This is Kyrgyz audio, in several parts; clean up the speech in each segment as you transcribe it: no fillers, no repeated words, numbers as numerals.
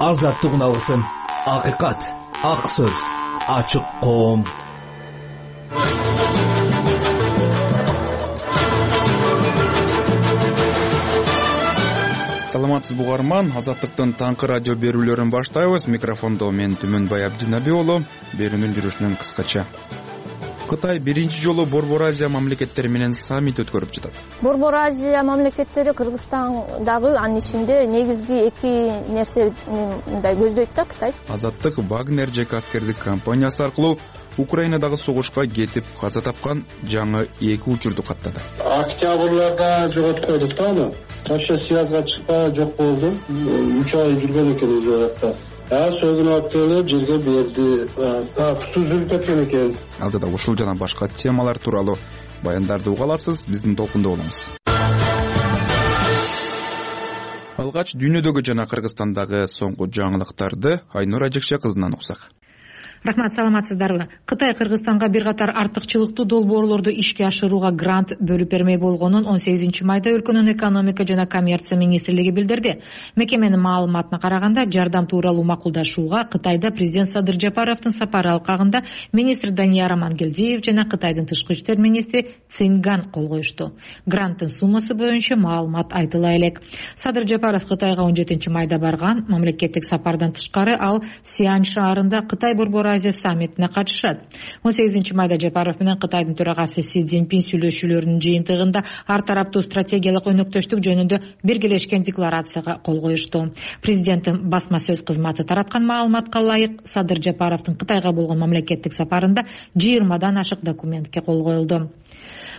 азаттык уналсын. Акыйкат, ак сөз, ачык коом. Саламатсыз угарман, Азаттыктын таңкы радио берүүлөрүн баштайбыз. Микрофондо мен Түмөнбай Абдинаби уулу. Берүүнүн жүрүшүнөн кыскача. Кытай биринчи жолу Борбор Азия мамлекеттери менен саммит өткөрүп жатат. Борбор Азия мамлекеттери Кыргызстан дагы анын ичинде негизги эки нерсе мындай көздөйт да Кытай. Азаттык Вагнер ЖК аскердик компаниясы аркылуу Украинадагы согушка кетип каза тапкан жаңы эки учурду каттады. Октябрларда жоготуп койдук да аны. Вообще связга чыкпай жок болду. 3 ай жүргөн экен жакта. Сөгүн алып келип жерге берди. Түзүлүп кеткен экен. Алдыда ушул жана башка темалар тууралуу баяндарды уга аласыз, биздин толкунда болуңуз. Алгач дүйнөдөгү жана Кыргызстандагы соңку жаңылыктарды Айнур Ажекше кызынан уксак. Рахмат, саламатсыздарбы? Кытай Кыргызстанга бир катар артыкчылыктуу долбоорлорду ишке ашырууга грант бөлүп бермей болгонун 18-майда өлкөнүн экономика жана коммерция министрлиги билдирди. Мекеменин маалыматына караганда, жардам тууралуу макулдашууга Кытайда президент Садыр Жапаровдун сапары алкагында министр Данияр Амангелдиев жана Кытайдын тышкы иштер министри Цинган кол коюшту. Гранттын суммасы боюнча маалымат айтыла элек. Садыр Жапаров Кытайга 17-майда барган. Мамлекеттик сапардан тышкары ал Сиань шаарында Кытай Борбор Азия саммитине катышат. 18-майда Жапаров менен Кытайдын төрагасы Си Цзиньпин сүйлөшүүлөрүнүн жыйынтыгында ар тараптуу стратегиялык өнөктөштүк жөнүндө биргелешкен декларацияга кол коюшту. Президенттин басма сөз кызматы тараткан маалыматка ылайык, Садыр Жапаровдун Кытайга болгон мамлекеттик сапарында 20 ашык документке кол коюлду.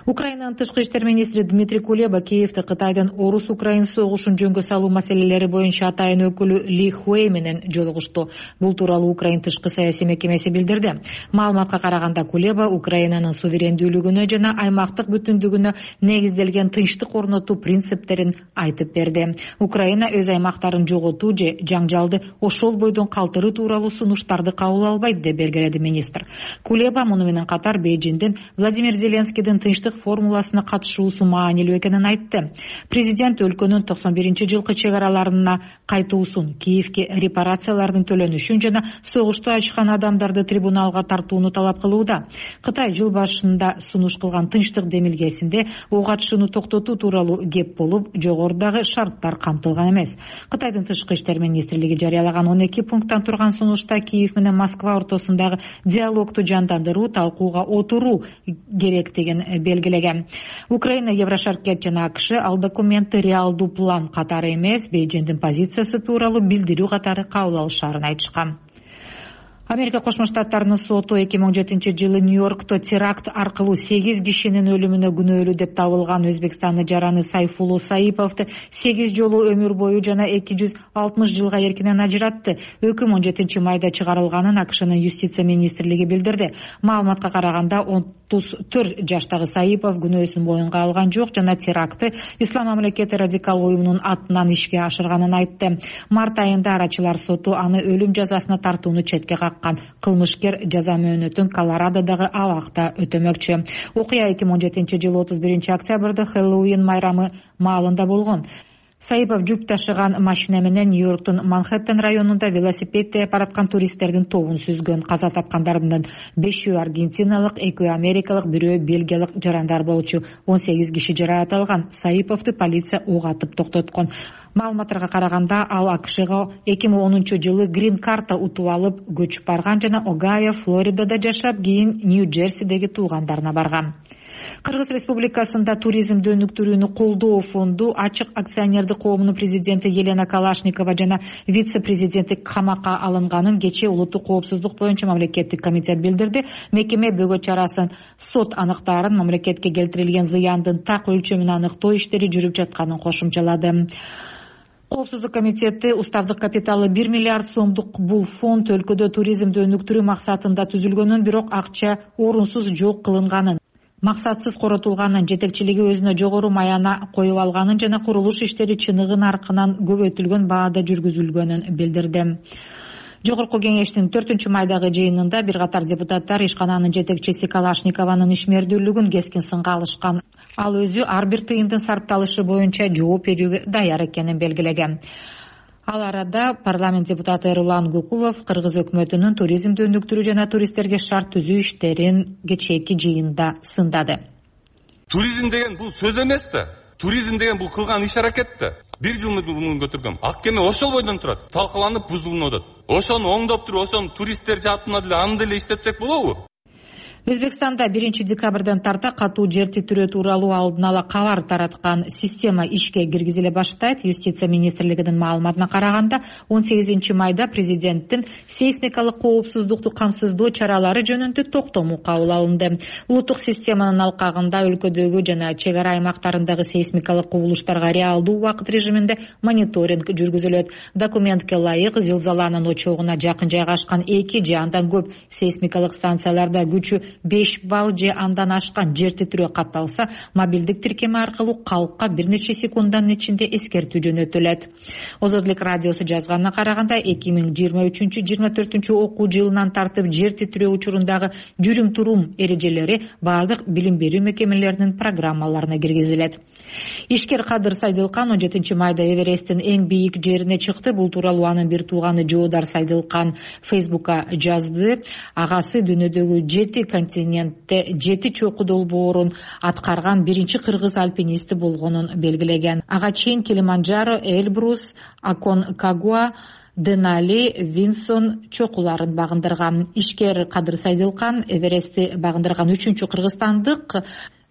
Украинанын тышкы иштер министри Дмитрий Кулеба Киевде Кытайдын орус-украин согушун жөнгө салуу маселелери боюнча атайын өкүлү Ли Хуэй менен жолугушту. Бул тууралуу Украин тышкы саясий мекемеси билдирди. Маалыматка караганда Кулеба Украинанын суверендүүлүгүнө жана аймактык бүтүндүгүнө негизделген тынчтык орнотуу принциптерин айтып берди. Украина өз аймактарын жоготуу же жаңжалды ошол бойдон калтыруу тууралуу сунуштарды кабыл албайт деп белгиледи министр. Кулеба муну менен катар Бейжиңдин Владимир Зеленскийдин тынчтык формуласына катышуусу маанилүү экенин айтты. Президент өлкөнүн 91-жылкы чек араларына кайтуусун, Киевге репарациялардын төлөнүшүн жана согушту ачкан адамдарды трибуналга тартууну талап кылууда. Кытай жыл башында сунуш кылган тынчтык демилгесинде ок атышууну токтотуу тууралуу кеп болуп, жогорудагы шарттар камтылган эмес. Кытайдын тышкы иштер министрлиги жарыялаган 12 пункттан турган сунушта Киев менен Москва ортосундагы диалогду жандандыруу, талкууга отуруу керектигин белгилеген. Украина, Еврошаркет жана АКШ ал документти реалдуу план катары эмес, Бейжиңдин позициясы тууралуу билдирүү катары кабыл алышаарын айтышкан. Америка Кошмо Штаттарынын соту 2017-жылы Нью-Йоркто теракт аркылуу 8 кишинин өлүмүнө күнөөлүү деп табылган Өзбекстандын жараны Сайфулло Саиповду 8 жолу өмүр бою жана 260 жылга эркинен ажыратты. Өкүм 17-майда чыгарылганын АКШнын юстиция министрлиги билдирди. Маалыматка караганда 34 жаштагы Саипов күнөөсүн моюнга алган жок жана терактты Ислам мамлекети радикал уюмунун атынан ишке ашырганын айтты. Март айында арачылар соту аны өлүм жазасына тартууну четке каккан. Кылмышкер жаза мөөнөтүн Колорадодагы абакта өтөмөкчү. Окуя 2017-жылы 31 октябрда Хэллоуин майрамы маалында болгон. Саипов жүк ташыган машина менен Нью-Йорктун Манхэттен районунда велосипед тээп бараткан туристтердин тобун сүзгөн. Каза тапкандардын 5-өө аргентиналык, 2-өө америкалык, 1-өө бельгиялык жарандар болчу. 18 киши жараат алган. Саиповду полиция ок атып токтоткон. Маалыматтарга караганда ал АКШга 2010-жылы грин карта утуп алып көчүп барган жана Огайо, Флоридада жашап, кийин Нью-Джерсидеги туугандарына барган. Кыргыз Республикасында туризмди өнүктүрүүнү колдоо фонду ачык акционердик коомунун президенти Елена Калашникова жана вице-президенти камакка алынганын кечээ улуттук коопсуздук боюнча мамлекеттик комитет билдирди. Мекеме бөгөт чарасын сот аныктаарын, мамлекетке келтирилген зыяндын так өлчөмүн аныктоо иштери жүрүп жатканын кошумчалады. Коопсуздук комитети уставдык капиталы 1 миллиард сомдук бул фонд өлкөдө туризмди өнүктүрүү максатында түзүлгөнүн, бирок акча орунсуз жок кылынганын, максатсыз коротулганын, жетекчилиги өзүнө жогору маяна коюп алганын жана курулуш иштери чыныгы наркынан көбөйтүлгөн баада жүргүзүлгөнүн билдирди. Жогорку кеңештин 4-майдагы жыйынында бир катар депутаттар ишкананын жетекчиси Калашникованын ишмердүүлүгүн кескин сынга алышкан. Ал өзү ар бир тыйындын сарпталышы боюнча жооп берүүгө даяр экенин белгилеген. Ал арада парламент депутаты Эрулан Гукулов Кыргыз өкмөтүнүн туризмди өнүктүрүү жана туристтерге шарт түзүү иштерин кечээки жыйында сындады. Туризм деген бул сөз эмес да. Туризм деген бул кылган иш-аракет да. Бир жыл муну көтөргөм. Ак кеме ошол бойдон турат. Талкаланып бузулуп атат. Ошону оңдоп туруп, ошону туристтер жаатына деле аны деле иштетсек болобу? Өзбекстанда 1 декабрдан тарта катуу жер титирөө тууралуу алдын ала кабар тараткан система ишке киргизиле баштайт. Юстиция министрлигинин маалыматына караганда 18 майда президенттин сейсмикалык коопсуздукту камсыздоо чаралары жөнүндө токтому кабыл алынды. Улуттук системанын алкагында өлкөдөгү жана чек ара аймактарындагы сейсмикалык кубулуштарга реалдуу убакыт режиминде мониторинг жүргүзүлөт. Документке ылайык зилзаланын очогуна жакын жайгашкан 2 же андан көп сейсмикалык станцияларда күчү 5 балл же андан ашкан жер титирөө катталса, мобилдик тиркеме аркылуу калкка бир нече секунддун ичинде эскертүү жөнөтүлөт. Озодлук радиосу жазганына караганда 2023-24 окуу жылынан тартып жер титирөө учурундагы жүрүм-турум эрежелери бардык билим берүү мекемелеринин программаларына киргизилет. Ишкер Кадыр Сайдылкан 17 майда Эвересттин эң бийик жерине чыкты. Бул тууралуу анын бир тууганы Жоодар Сайдылкан Фейсбукка жазды. Агасы дүйнөдөгү 7 континентте 7 чокуу долбоорун аткарган биринчи кыргыз альпинисти болгонун белгилеген. Ага чейин Килиманджаро, Эльбрус, Аконкагуа, Денали, Винсон чокуларын багындырган. Ишкер Кадыр Сайдылкан Эверестти багындырган 3-чү кыргызстандык.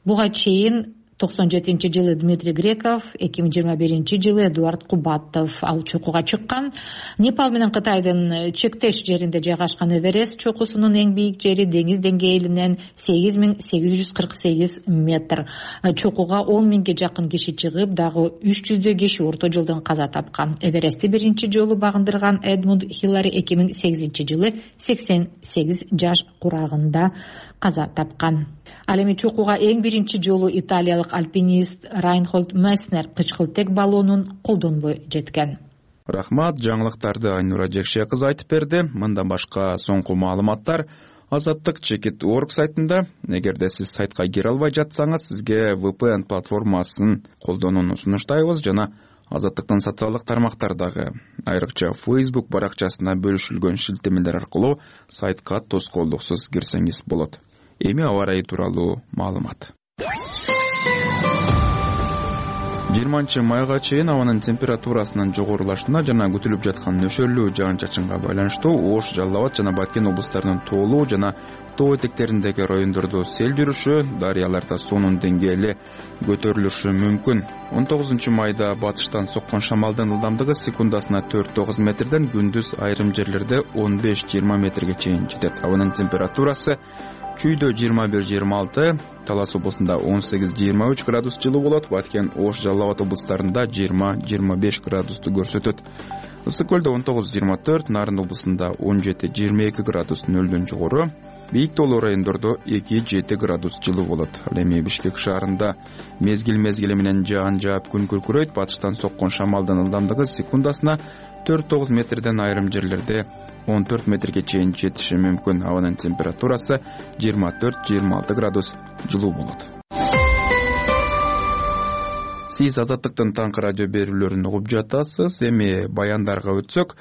Буга чейин 97-жылы Дмитрий Греков, 2021-жылы Эдуард Кубатов ал чокуга чыккан. Непал менен Кытайдын чектеш жеринде жайгашкан Эверест чокусунун эң бийик жери деңиз деңгээлинен 8848 метр. Чокуга 10 миңге жакын киши чыгып, дагы 300 киши орто жолдон каза тапкан. Эверестти биринчи жолу багындырган Эдмунд Хиллари 2008-жылы 88 жаш курагында каза тапкан. Ал эми чокуга эң биринчи жолу италиялык альпинист Райнхольд Месснер кычкылтек баллонун колдонбой жеткен. Рахмат, жаңылыктарды Айнура Жекше кызы айтып берди. Мындан башка соңку маалыматтар Азаттык Чекит.org сайтында. Эгерде сиз сайтка кире албай жатсаңыз, сизге VPN платформасын колдонууну сунуштайбыз жана Азаттыктын социалдык тармактардагы, айрыкча Facebook баракчасына бөлүшүлгөн шилтемелер аркылуу сайтка тоскоолдуксуз кирсеңиз болот. Эми аба ырайы тууралуу маалымат. 20 майга чейин абанын температурасынын жогорулашына жана күтүлүп жаткан нөшөрлүү жаан-чачынга байланыштуу Ош, Жалал Абад жана Баткен облустарынын тоолуу жана тоо этектериндеги райондордо сел жүрүшү, дарыяларда суунун деңгээли көтөрүлүшү мүмкүн. 19 майда батыштан соккон шамалдын ылдамдыгы секундасына 4-9 метрден күндүз айрым жерлерде 15-20 метрге чейин жетет. Абанын температурасы Чүйдө 21-26, Талас облусунда 18-23 градус жылуу болот, Баткен, Ош, Жалал Абад облустарында 20-25 градусту көрсөтөт. Ысык көлдө 19-24, Нарын облусунда 17-22 градус нөлдөн жогору, бийик тоолуу райондордо 2-7 градус жылуу болот. Ал эми Бишкек шаарында мезгил менен жаан жаап күн күркүрөйт, батыштан соккон шамалдын ылдамдыгы секундасына 4-9 метрден айрым жерлерде 14 метрге чейин жетиши мүмкүн. Абанын температурасы 24-26 градус жылуу болот. Сиз Азаттыктын таңкы радио берүүлөрүн угуп жатасыз. Эми баяндарга өтсөк,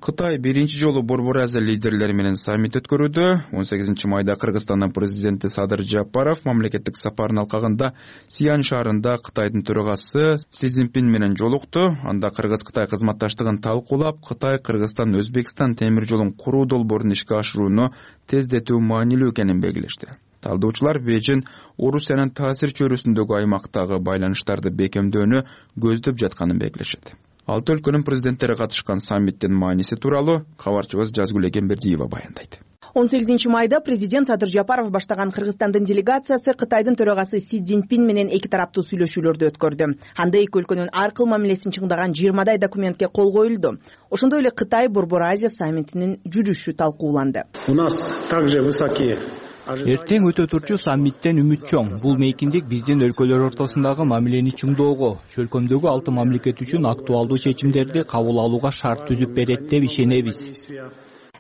Кытай биринчи жолу Борбор Азия лидерлери менен саммит өткөрүүдө. 18 майда Кыргызстандын президенти Садыр Жапаров мамлекеттик сапарын алкагында Сиан шаарында Кытайдын төрагасы Си Цзиньпин менен жолукту. Анда Кыргыз-Кытай кызматташтыгын талкуулап, Кытай Кыргызстан-Өзбекстан темир жолун куруу долбоорун ишке ашырууну тездетүү маанилүү экенин белгилешти. Талдоочулар Бейжин Орусиянын таасир чөйрөсүндөгү аймактагы байланыштарды бекемдөөнү көздөп жатканын белгилешет. Алты өлкөнүн президенттери катышкан саммиттин мааниси тууралуу кабарчыбыз Жазгүл Эгембердиева баяндайт. 18 майда президент Садыр Жапаров баштаган Кыргызстандын делегациясы Кытайдын төрагасы Си Цзиньпин менен эки тараптуу сүйлөшүүлөрдү өткөрдү. Анда эки өлкөнүн ар кыл мамилесин чыңдаган 20 документке кол коюлду. Ошондой эле Кытай Борбор Азия саммитинин жүрүшү талкууланды. У нас также высокие Эртең өтө турчу саммиттен үмүт чоң. Бул мейкиндик биздин өлкөлөр ортосундагы мамилени чыңдоого, чөлкөмдөгү 6 мамлекет үчүн актуалдуу чечимдерди кабыл алууга шарт түзүп берет деп ишенебиз.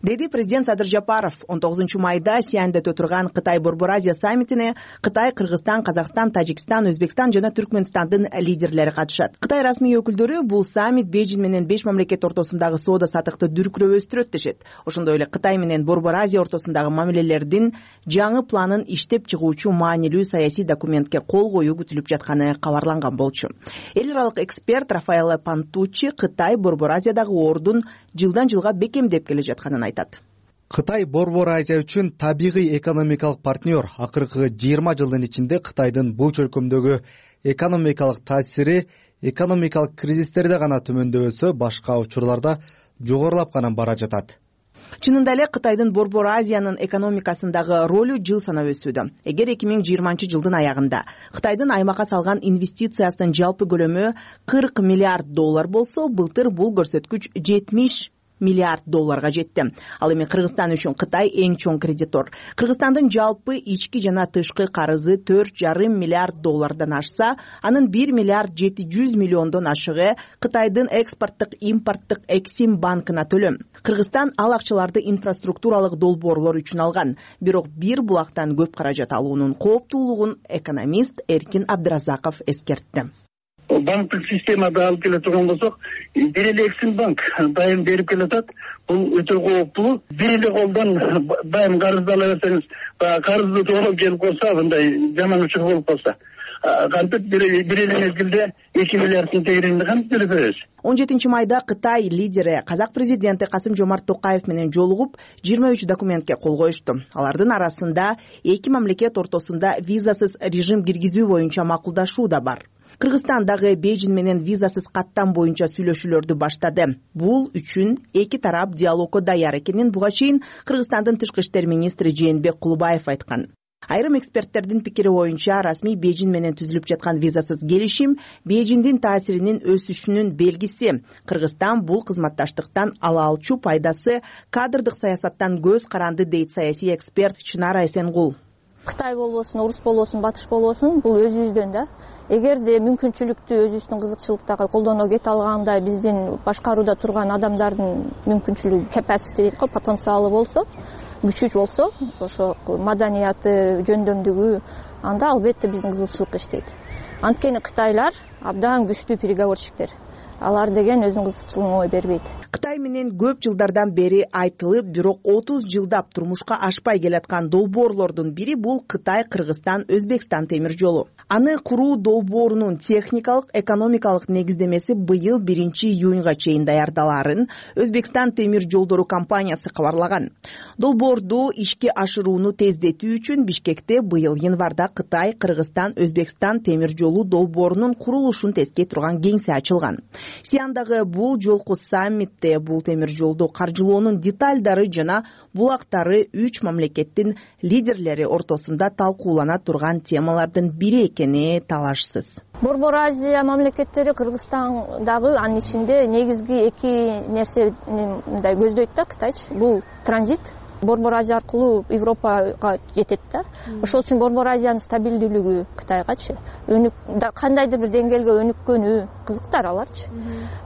деди президент Садыр Жапаров. 19-майда Сианьда өтө турган Кытай Борбор Азия саммитине Кытай, Кыргызстан, Казакстан, Тажикстан, Өзбекстан жана Түркмөнстандын лидерлери катышат. Кытай расмий өкүлдөрү бул саммит Бейжин менен 5 мамлекет ортосундагы соода саттыкты дүркүрөбөстүрөт дешет. Ошондой эле Кытай менен Борбор Азия ортосундагы мамилелердин жаңы планын иштеп чыгуучу маанилүү саясий документке кол коюу күтүлүп жатканы кабарланган болчу. Эл аралык эксперт Рафаэлло Пантуччи Кытай Борбор Азиядагы ордун жылдан жылга бекемдеп келе жатканын айтат. Кытай Борбор Азия үчүн табигый экономикалык партнер. Акыркы 20 жылдын ичинде Кытайдын бул чөлкөмдөгү экономикалык таасири экономикалык кризистерде гана төмөндөбөсө, башка учурларда жогорулап гана бара жатат. Чынында эле Кытайдын Борбор Азиянын экономикасындагы ролу жыл санап өсүүдө. Эгер 2020 жылдын аягында Кытайдын аймакка салган инвестициясынын жалпы көлөмү $40 миллиард болсо, былтыр бул көрсөткүч $70 миллиард жетти. Ал эми Кыргызстан үчүн Кытай эң чоң кредитор. Кыргызстандын жалпы ички жана тышкы карызы $4,5 миллиард ашса, анын $1,7 миллиард ашыгы Кытайдын экспорттук импорттук Эксим банкына төлөм. Кыргызстан ал акчаларды инфраструктуралык долбоорлор үчүн алган. Бирок бир булактан көп каражат алуунун кооптуулугун экономист Эркин Абдыразаков эскертти. Банктык системада алып келе турган болсок, бир эле Эксим банк дайым берип келатат. Бул өтө кооптуу. Бир эле колдон дайым карызды ала берсеңиз, карызды тоолоп келип калса, мындай жаман учур болуп калса, кантип бир эле мезгилде 2 миллиарддын тегерегинде кантип төлөп беребиз? 17-майда Кытай лидери Казак президенти Касым-Жомарт Токаев менен жолугуп 23 документке кол коюшту. Алардын арасында эки мамлекет ортосунда визасыз режим киргизүү боюнча макулдашуу да бар. Кыргызстан дагы Бейжин менен визасыз каттам боюнча сүйлөшүүлөрдү баштады. Бул үчүн эки тарап диалогко даяр экенин буга чейин Кыргызстандын тышкы иштер министри Жээнбек Кулубаев айткан. Айрым эксперттердин пикири боюнча, расмий Бейжин менен түзүлүп жаткан визасыз келишим Бейжиндин таасиринин өсүшүнүн белгиси. Кыргызстан бул кызматташтыктан ала алчу пайдасы кадрдык саясаттан көз каранды, дейт саясий эксперт Чынара Эсенгул. Кытай болбосун, орус болбосун, батыш болбосун, бул өзүбүздөн да. Эгерде мүмкүнчүлүктү өзүбүздүн кызыкчылыктагы колдоно кете алгандай биздин башкарууда турган адамдардын мүмкүнчүлүгү, capacity дейт го, потенциалы болсо, күчү болсо, ошо маданияты, жөндөмдүгү, анда албетте биздин кызыкчылык иштейт. Анткени кытайлар абдан күчтүү переговорщиктер. Алар деген өзүнүн кызыкчылыгын ой бербейт. Кытай менен көп жылдардан бери айтылып, бирок 30 жылдап турмушка ашпай келаткан долбоорлордун бири бул Кытай, Кыргызстан, Өзбекстан темир жолу. Аны куруу долбоорунун техникалык, экономикалык негиздемеси быйыл 1-июнга чейин даярдаларын Өзбекстан темир жолдору компаниясы кабарлаган. Долбоорду ишке ашырууну тездетүү үчүн Бишкекте быйыл январда Кытай, Кыргызстан, Өзбекстан темир жолу долбоорунун курулушун тескей турган кеңсе ачылган. Сиандагы бул жолку саммитте бул темир жолду каржылоонун деталдары жана булактары 3 мамлекеттин лидерлери ортосунда талкуулана турган темалардын бири экени талашсыз. Борбор Азия мамлекеттери Кыргызстан дагы анын ичинде негизги эки нерсени мындай көздөйт да Кытайчы. Бул транзит. Борбор Азия аркылуу Европага жетет да. Ошол үчүн Борбор Азиянын стабилдүүлүгү Кытайгачы, кандайдыр бир деңгээлге өнүккөнү кызыктар аларчы.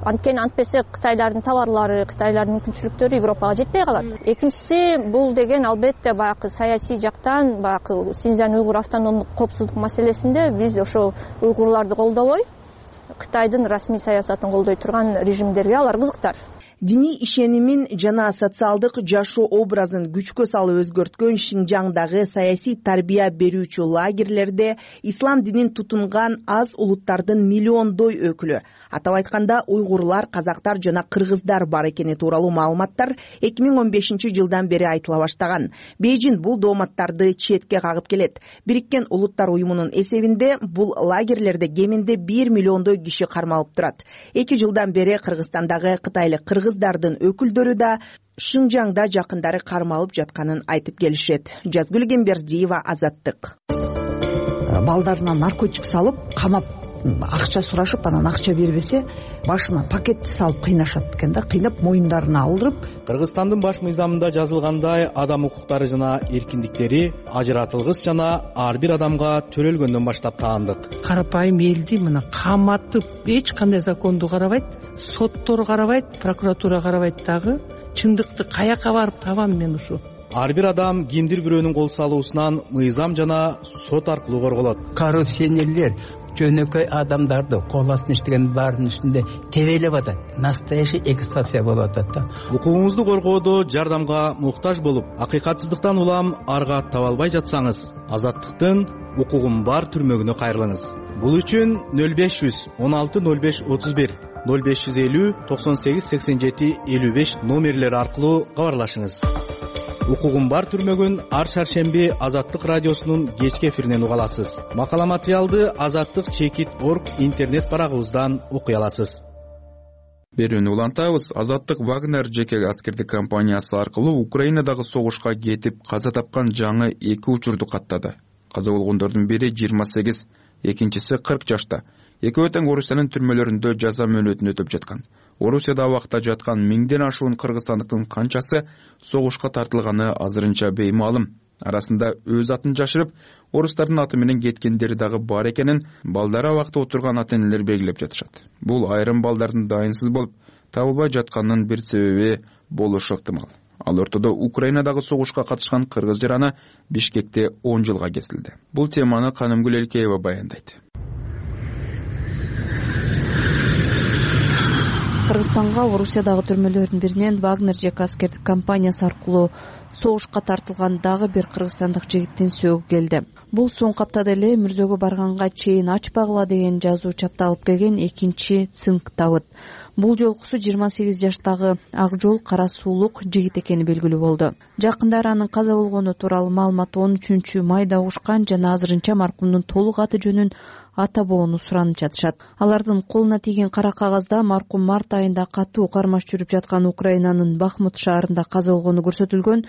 Анткени антпесе Кытайлардын товарлары, Кытайлардын мүмкүнчүлүктөрү Европага жетпей калат. Экинчиси, бул деген албетте баягы саясий жактан, баягы Синьцзян уйгур автономдук коопсуздук маселесинде биз ошо уйгурларды колдобой, Кытайдын расмий саясатын колдой турган режимдерге алар кызыктар. Диний ишенимин жана социалдык жашоо образын күчкө салып өзгөрткөн Шинжаңдагы саясий тарбия берүүчү лагерлерде ислам динин тутунган аз улуттардын миллиондой өкүлү, атап айтканда уйгурлар, казактар жана кыргыздар бар экени тууралуу маалыматтар 2015 жылдан бери айтыла баштаган. Бейжин бул дооматтарды четке кагып келет. Бириккен Улуттар уюмунун эсебинде бул лагерлерде кеминде 1 миллиондой киши кармалып турат. 2 жылдан бери Кыргызстандагы кытайлык кыргыздардын өкүлдөрү да Шинжаңда жакындары кармалып жатканын айтып келишет. Жазгүл Гембердиева, Азаттык. Балдарына наркотик салып, камап, акча сурашып, анан акча бербесе, башына пакетти салып кыйнашат экен да, кыйнап моюндарына алдырып. Кыргызстандын баш мыйзамында жазылгандай, адам укуктары жана эркиндиктери ажыратылгыс жана ар бир адамга төрөлгөндөн баштап таандык. Карапайым элди мына каматып, эч кандай законду карабайт, соттор карабайт, прокуратура карабайт дагы. чындыкты каяка барып табам мен ушу? Ар бир адам кимдир бирөөнүн кол салуусунан мыйзам жана сот аркылуу корголот. Коррупционерлер жөнөкөй адамдарды кол астына иштеген баарынын үстүндө тебелеп атат. Настоящий эксплуатация болуп атат да. Укугуңузду коргоодо жардамга муктаж болуп, акыйкатсыздыктан улам арга таба албай жатсаңыз, Азаттыктын укугум бар түрмөгүнө кайрылыңыз. Бул үчүн 0500 16 05 31 0550 98 87 55 номерлери аркылуу кабарлашыңыз. Укугум бар түрмөгүн ар шаршемби Азаттык радиосунун кечки эфиринен уга аласыз. Макала материалды azattik.org интернет барагыбыздан окуй аласыз. Берүүнү улантабыз. Азаттык Вагнер жеке аскердик компаниясы аркылуу Украинадагы согушка кетип каза тапкан жаңы 2 учурду каттады. Каза болгондордун бири 28, экинчиси 40 жашта. Экөө тең Орусиянын түрмөлөрүндө жаза мөөнөтүн өтөп жаткан. Орусияда абакта жаткан 1000ден ашуун кыргызстандыктын канчасы согушка тартылганы азырынча беймаалым. Арасында өз атын жашырып, орустардын аты менен кеткендери дагы бар экенин балдары абакта отурган ата-энелер белгилеп жатышат. Бул айрым балдардын дайынсыз болуп табылбай жатканынын бир себеби болушу ыктымал. Ал ортодо Украинадагы согушка катышкан кыргыз жараны Бишкекте 10 жылга кесилди. Бул теманы Канымгүл Элкеева баяндайт. Кыргызстанга Орусиядагы түрмөлөрдүн биринен Вагнер жеке аскердик компаниясы аркылуу согушка тартылган дагы бир кыргызстандык жигиттин сөөгү келди. Бул соңку аптада эле мүрзөгө барганга чейин ачпагыла деген жазуу чапталып келген экинчи цинк Давыт. Бул жолкусу 28 жаштагы ак жол кара суулук жигит экени белгилүү болду. Жакындары анын каза болгону тууралуу маалымат 13 майда угушкан жана азырынча маркумдун толук аты жөнүн ата боону суранып жатышат. Алардын колуна тийген кара кагазда маркум март айында катуу кармаш жүрүп жаткан Украинанын Бахмут шаарында каза болгону көрсөтүлгөн.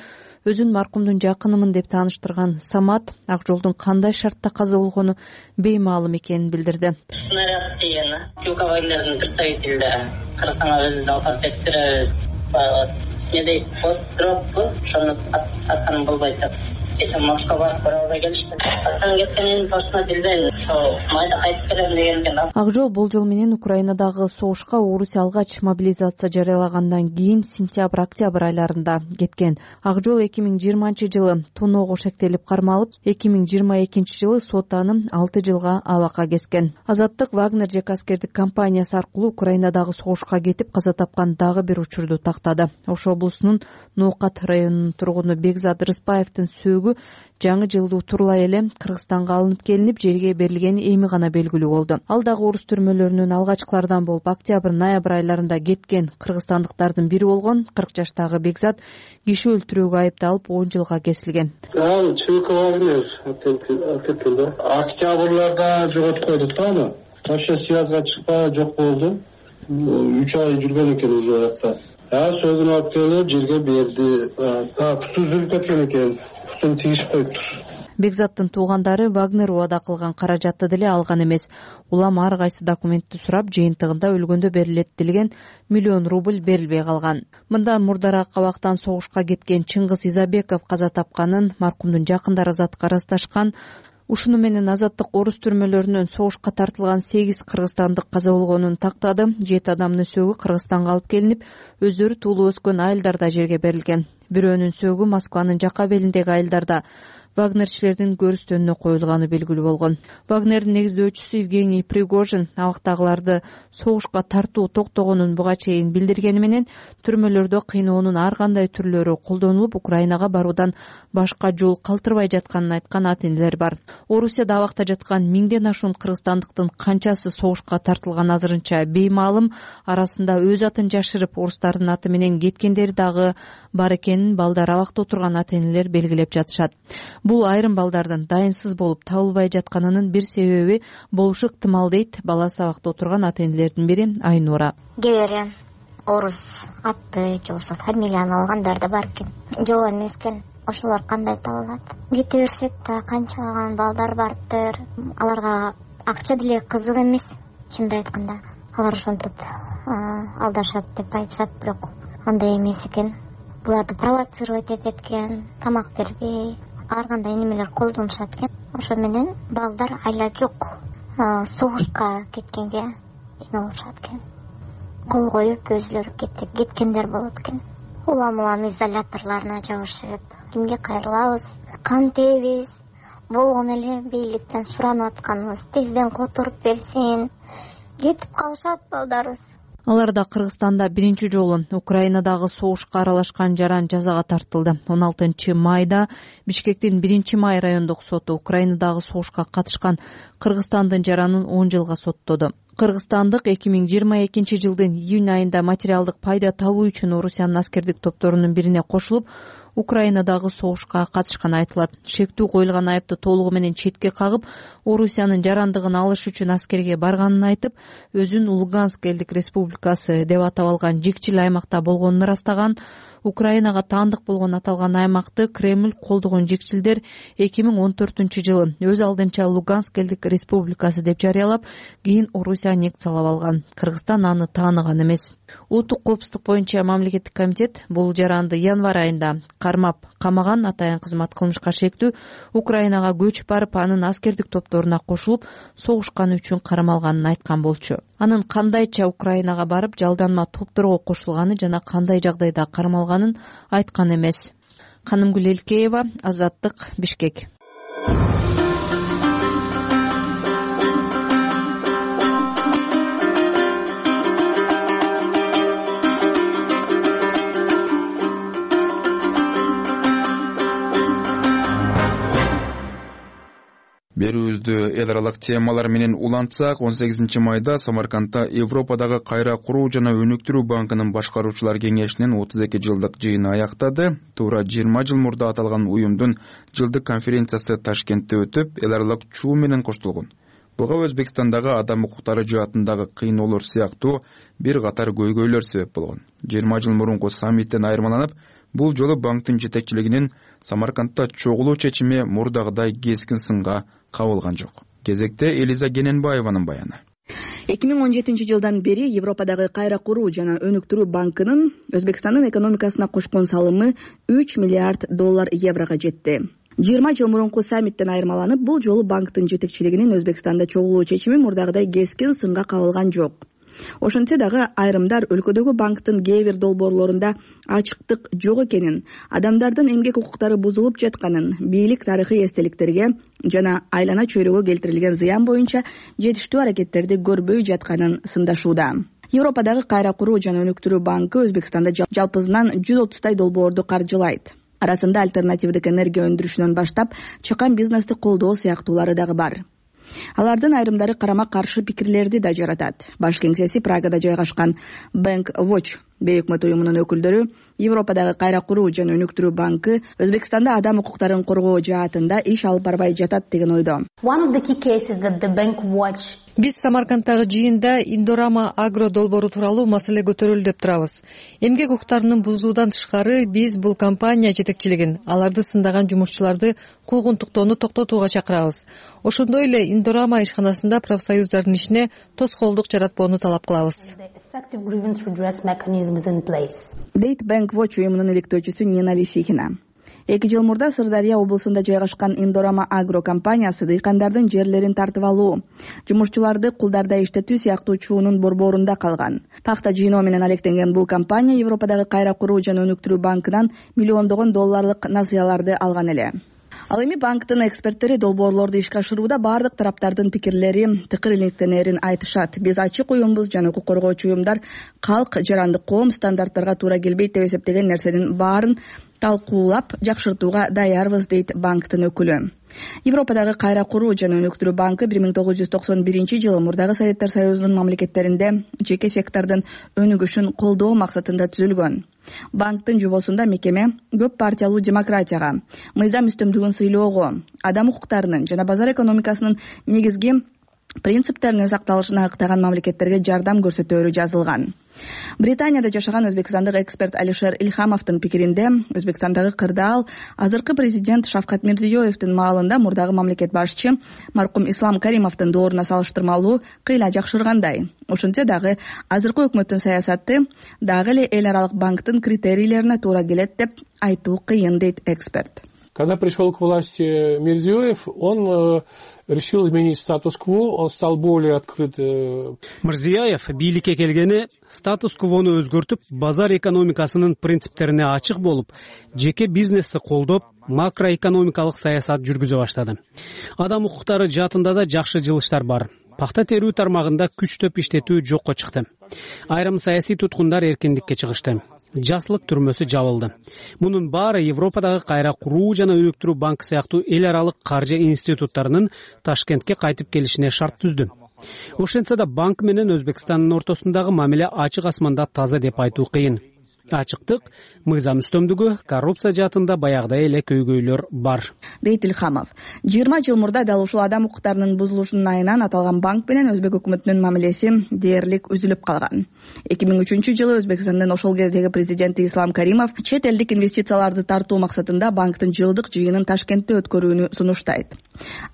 Өзүн маркумдун жакынымын деп тааныштырган Самат ак жолдун кандай шартта каза болгону беймаалым экенин билдирди. Снаряд тийген Вагнердин представителдери Кыргызстанга өзүбүз алып барып жеткиребиз. Медей дроппу, ошону асканым болбойт деп. Эсен Москва барып бара албай келишти. Atan кеткенин точно билбейм. Майда кайтып келем деген экен. Ак жол болжол менен Украинадагы согушка Орусия алгач мобилизация жарыялагандан кийин сентябрь-октябрь айларында кеткен. Ак жол 2020-жылы тоноого шектелип кармалып, 2022-жылы сот аны 6 жылга абакка кескен. Азаттык Вагнер жеке аскердик компаниясы аркылуу Украинадагы согушка кетип каза тапкан дагы бир учурду тактады. Ош облусунун Ноокат районунун тургуну Бекзат Рыспаевдин сөөгү жаңы жылдуу турлай эле Кыргызстанга алынып келинип жерге берилгени эми гана белгилүү болду. Ал дагы орус түрмөлөрүнүн алгачкылардан болуп октябрь-ноябрь айларында кеткен кыргызстандыктардын бири болгон 40 жаштагы Бекзат киши өлтүрүүгө айыпталып 10 жылга кесилген. Октябрларда жоготуп койдук да аны. Вообще связга чыкпай жок болду. 3 ай жүргөн экен уже жакта. Сөөгүн алып келип жерге берди. Путу үзүлүп кеткен экен. Путун тийишип коюптур. Бекзаттын туугандары Вагнер убада кылган каражатты деле алган эмес. Улам ар кайсы документти сурап, жыйынтыгында өлгөндө берилет делген миллион рубль берилбей калган. Мындан мурдараак абактан согушка кеткен Чыңгыз Изабеков каза тапканын маркумдун жакындары Азаттыкка ырасташкан. Ушуну менен Азаттык орус түрмөлөрүнөн согушка тартылган 8 кыргызстандык каза болгонун тактады. 7 адамдын сөөгү Кыргызстанга алып келинип, өздөрү туулуп өскөн айылдарда жерге берилген. Бирөөнүн сөөгү Москванын жака белиндеги айылдарда Вагнерчилердин көрүстөнүнө коюлганы белгилүү болгон. Вагнердин негиздөөчүсү Евгений Пригожин абактагыларды согушка тартуу токтогонун буга чейин билдиргени менен түрмөлөрдө кыйноонун ар кандай түрлөрү колдонулуп, Украинага баруудан башка жол калтырбай жатканын айткан ата-энелер бар. Орусияда абакта жаткан 1000ден ашуун кыргызстандыктын канчасы согушка тартылган азырынча беймаалым. Арасында өз атын жашырып, орустардын аты менен кеткендери дагы бар экенин балдары абакта отурган ата-энелер белгилеп жатышат. Бул айрым балдардын дайынсыз болуп табылбай жатканынын бир себеби болушу ыктымал дейт баласы абакта отурган ата-энелердин бири Айнура. Кээ бир орус атты же болбосо фамилияны алгандар да бар экен. Жок эмес экен. Ошолор кандай табылат? Кете беришет да, канчалаган балдар барыптыр. Аларга акча деле кызык эмес, чынын айтканда. Алар ошентип алдашат деп айтышат, бирок андай эмес экен. Буларды провоцировать этет экен, тамак бербей, ар кандай немелер колдонушат экен. Ошо менен балдар айла жок согушка кеткенге эме болушат экен. Кол коюп өзүлөрү кеткендер болот экен. улам изоляторлоруна жабышып кимге кайрылабыз, кантебиз, болгон эле бийликтен суранып атканыбыз тезден которуп берсин, кетип калышат балдарыбыз. Алар да Кыргызстанда биринчи жолу Украинадагы согушка аралашкан жаран жазага тартылды. 16 майда Бишкектин 1-Май райондук соту Украинадагы согушка катышкан Кыргызстандын жаранын 10 жылга соттоду. Кыргызстандык 2022 жылдын июнь айында материалдык пайда табуу үчүн Орусиянын аскердик топторунун бирине кошулуп, Украинадагы согушка катышканы айтылат. Шектүү коюлган айыпты толугу менен четке кагып, Орусиянын жарандыгын алыш үчүн аскерге барганын айтып, өзүн Луганск элдик республикасы деп атап алган жикчил аймакта болгонун ырастаган. Украинага таандык болгон аталган аймакты Кремль колдогон жикчилдер 2014 жылы өз алдынча Луганск элдик республикасы деп жарыялап, кийин Орусия аннексиялап алган. Кыргызстан аны тааныган эмес. Улуттук коопсуздук боюнча мамлекеттик комитет бул жаранды январь айында кармап камаган. Атайын кызмат кылмышка шектүү Украинага көчүп барып, анын аскердик топторуна кошулуп, согушканы үчүн кармалганын айткан болчу. Анын кандайча Украинага барып, жалданма топторго кошулганы жана кандай жагдайда кармалганын айткан эмес. Канымгүл Элкеева, Азаттык, Бишкек. Берүүбүздү эл аралык темалар менен улантсак, 18 майда Самаркандда Европадагы кайра куруу жана өнүктүрүү банкынын башкаруучулар кеңешинин 32 жылдык жыйыны аяктады. Туура 20 жыл мурда аталган уюмдун жылдык конференциясы Ташкентте өтүп, эл аралык чуу менен коштолгон. Буга Өзбекстандагы адам укуктары жаатындагы кыйноолор сыяктуу бир катар көйгөйлөр себеп болгон. 20 жыл мурунку саммиттен айырмаланып, бул жолу банктын жетекчилигинин Самаркандда чогулуу чечими мурдагыдай кескин сынга кабылган жок. Кезекте Элиза Гененбаеванын баяны. 2017 жылдан бери Европадагы кайра куруу жана өнүктүрүү банкынын Өзбекстандын экономикасына кошкон салымы 3 миллиард доллар еврого жетти. 20 жыл мурунку саммиттен айырмаланып, бул жолу банктын жетекчилигинин Өзбекстанда чогулуу чечими мурдагыдай кескин сынга кабылган жок. Ошентсе дагы айрымдар өлкөдөгү банктын кээ бир долбоорлорунда ачыктык жок экенин, адамдардын эмгек укуктары бузулуп жатканын, бийлик тарыхый эстеликтерге жана айлана чөйрөгө келтирилген зыян боюнча жетиштүү аракеттерди көрбөй жатканын сындашууда. Европадагы кайра куруу жана өнүктүрүү банкы Өзбекстанда жалпысынан 130 долбоорду каржылайт. Арасында альтернативдик энергия өндүрүшүнөн баштап чакан бизнести колдоо сыяктуулары дагы бар. Алардын айрымдары карама каршы пикирлерди да жаратат. Баш кеңсеси Прагада жайгашкан Bank Watch бейөкмөт уюмунун өкүлдөрү Европадагы кайра куруу жана өнүктүрүү банкы Өзбекстанда адам укуктарын коргоо жаатында иш алып барбай жатат деген ойдо. Биз Самарканддагы жыйында Индорама агро долбоору тууралуу маселе көтөрүлдү деп турабыз. Эмгек укуктарынын бузуудан тышкары биз бул компания жетекчилигин, аларды сындаган жумушчуларды куугунтуктоону токтотууга чакырабыз. Ошондой эле Индорама ишканасында профсоюздардын ишине тоскоолдук жаратпоону талап кылабыз. Дейт Bank Watch уюмунун иликтөөчүсү Нина Лисихина. 2 жыл мурда Сырдарья облусунда жайгашкан Индорама агро компаниясы дыйкандардын жерлерин тартып алуу, жумушчуларды кулдарда иштетүү сыяктуу чуунун борборунда калган. Пахта жыйноо менен алектенген бул компания Европадагы кайра куруу жана өнүктүрүү банкынан миллиондогон долларлык насыяларды алган эле. Ал эми банктын эксперттери долбоорлорду ишке ашырууда бардык тараптардын пикирлери тыкыр иликтенерин айтышат. Биз ачык уюмбуз жана укук коргоочу уюмдар калк, жарандык коом стандарттарга туура келбейт деп эсептеген нерсенин баарын талкуулап жакшыртууга даярбыз, дейт банктын өкүлү. Европадагы кайра куруу жана өнүктүрүү банкы 1991 жылы мурдагы Советтер Союзунун мамлекеттеринде жеке сектордун өнүгүшүн колдоо максатында түзүлгөн. Банктын жобосунда мекеме көп партиялуу демократияга, мыйзам үстөмдүгүн сыйлоого, адам укуктарынын жана базар экономикасынын негизги принциптеринин сакталышына ыктаган мамлекеттерге жардам көрсөтөөрү жазылган. Британияда жашаган өзбекстандык эксперт Алишер Ильхамовдун пикиринде, Өзбекстандагы кырдаал азыркы президент Шавкат Мирзиёевдин маалында мурдагы мамлекет башчы маркум Ислам Каримовдун дооруна салыштырмалуу кыйла жакшыргандай. Ошентсе дагы азыркы өкмөттүн саясаты дагы эле эл аралык банктын критерийлерине туура келет деп айтуу кыйын, дейт эксперт. Когда пришел к власти Мирзиёев, он решил изменить статус-кво, он стал более открыт. Мирзиёев бийликке келгени статус-квону өзгөртүп, базар экономикасынын принциптерине ачык болуп, жеке бизнести колдоп, макроэкономикалык саясат жүргүзө баштады. Адам укуктары жаатында да жакшы жылыштар бар. Пахта терүү тармагында күчтөп иштетүү жокко чыкты. Айрым саясий туткундар эркиндикке чыгышты. Жаслык түрмөсү жабылды. Мунун баары Европадагы кайра куруу жана өнүктүрүү банкы сыяктуу эл аралык каржы институттарынын Ташкентке кайтып келишине шарт түздү. Ошентсе да банк менен Өзбекстандын ортосундагы мамиле ачык асманда таза деп айтуу кыйын. Ачыктык, мыйзам үстөмдүгү, коррупция жаатында баягыдай эле көйгөйлөр бар, дейт Илхамов. 20 жыл мурда дал ушул адам укуктарынын бузулушунун айынан аталган банк менен Өзбек өкмөтүнүн мамилеси дээрлик үзүлүп калган. 2003 жылы Өзбекстандын ошол кездеги президенти Ислам Каримов чет элдик инвестицияларды тартуу максатында банктын жылдык жыйынын Ташкентте өткөрүүнү сунуштайт.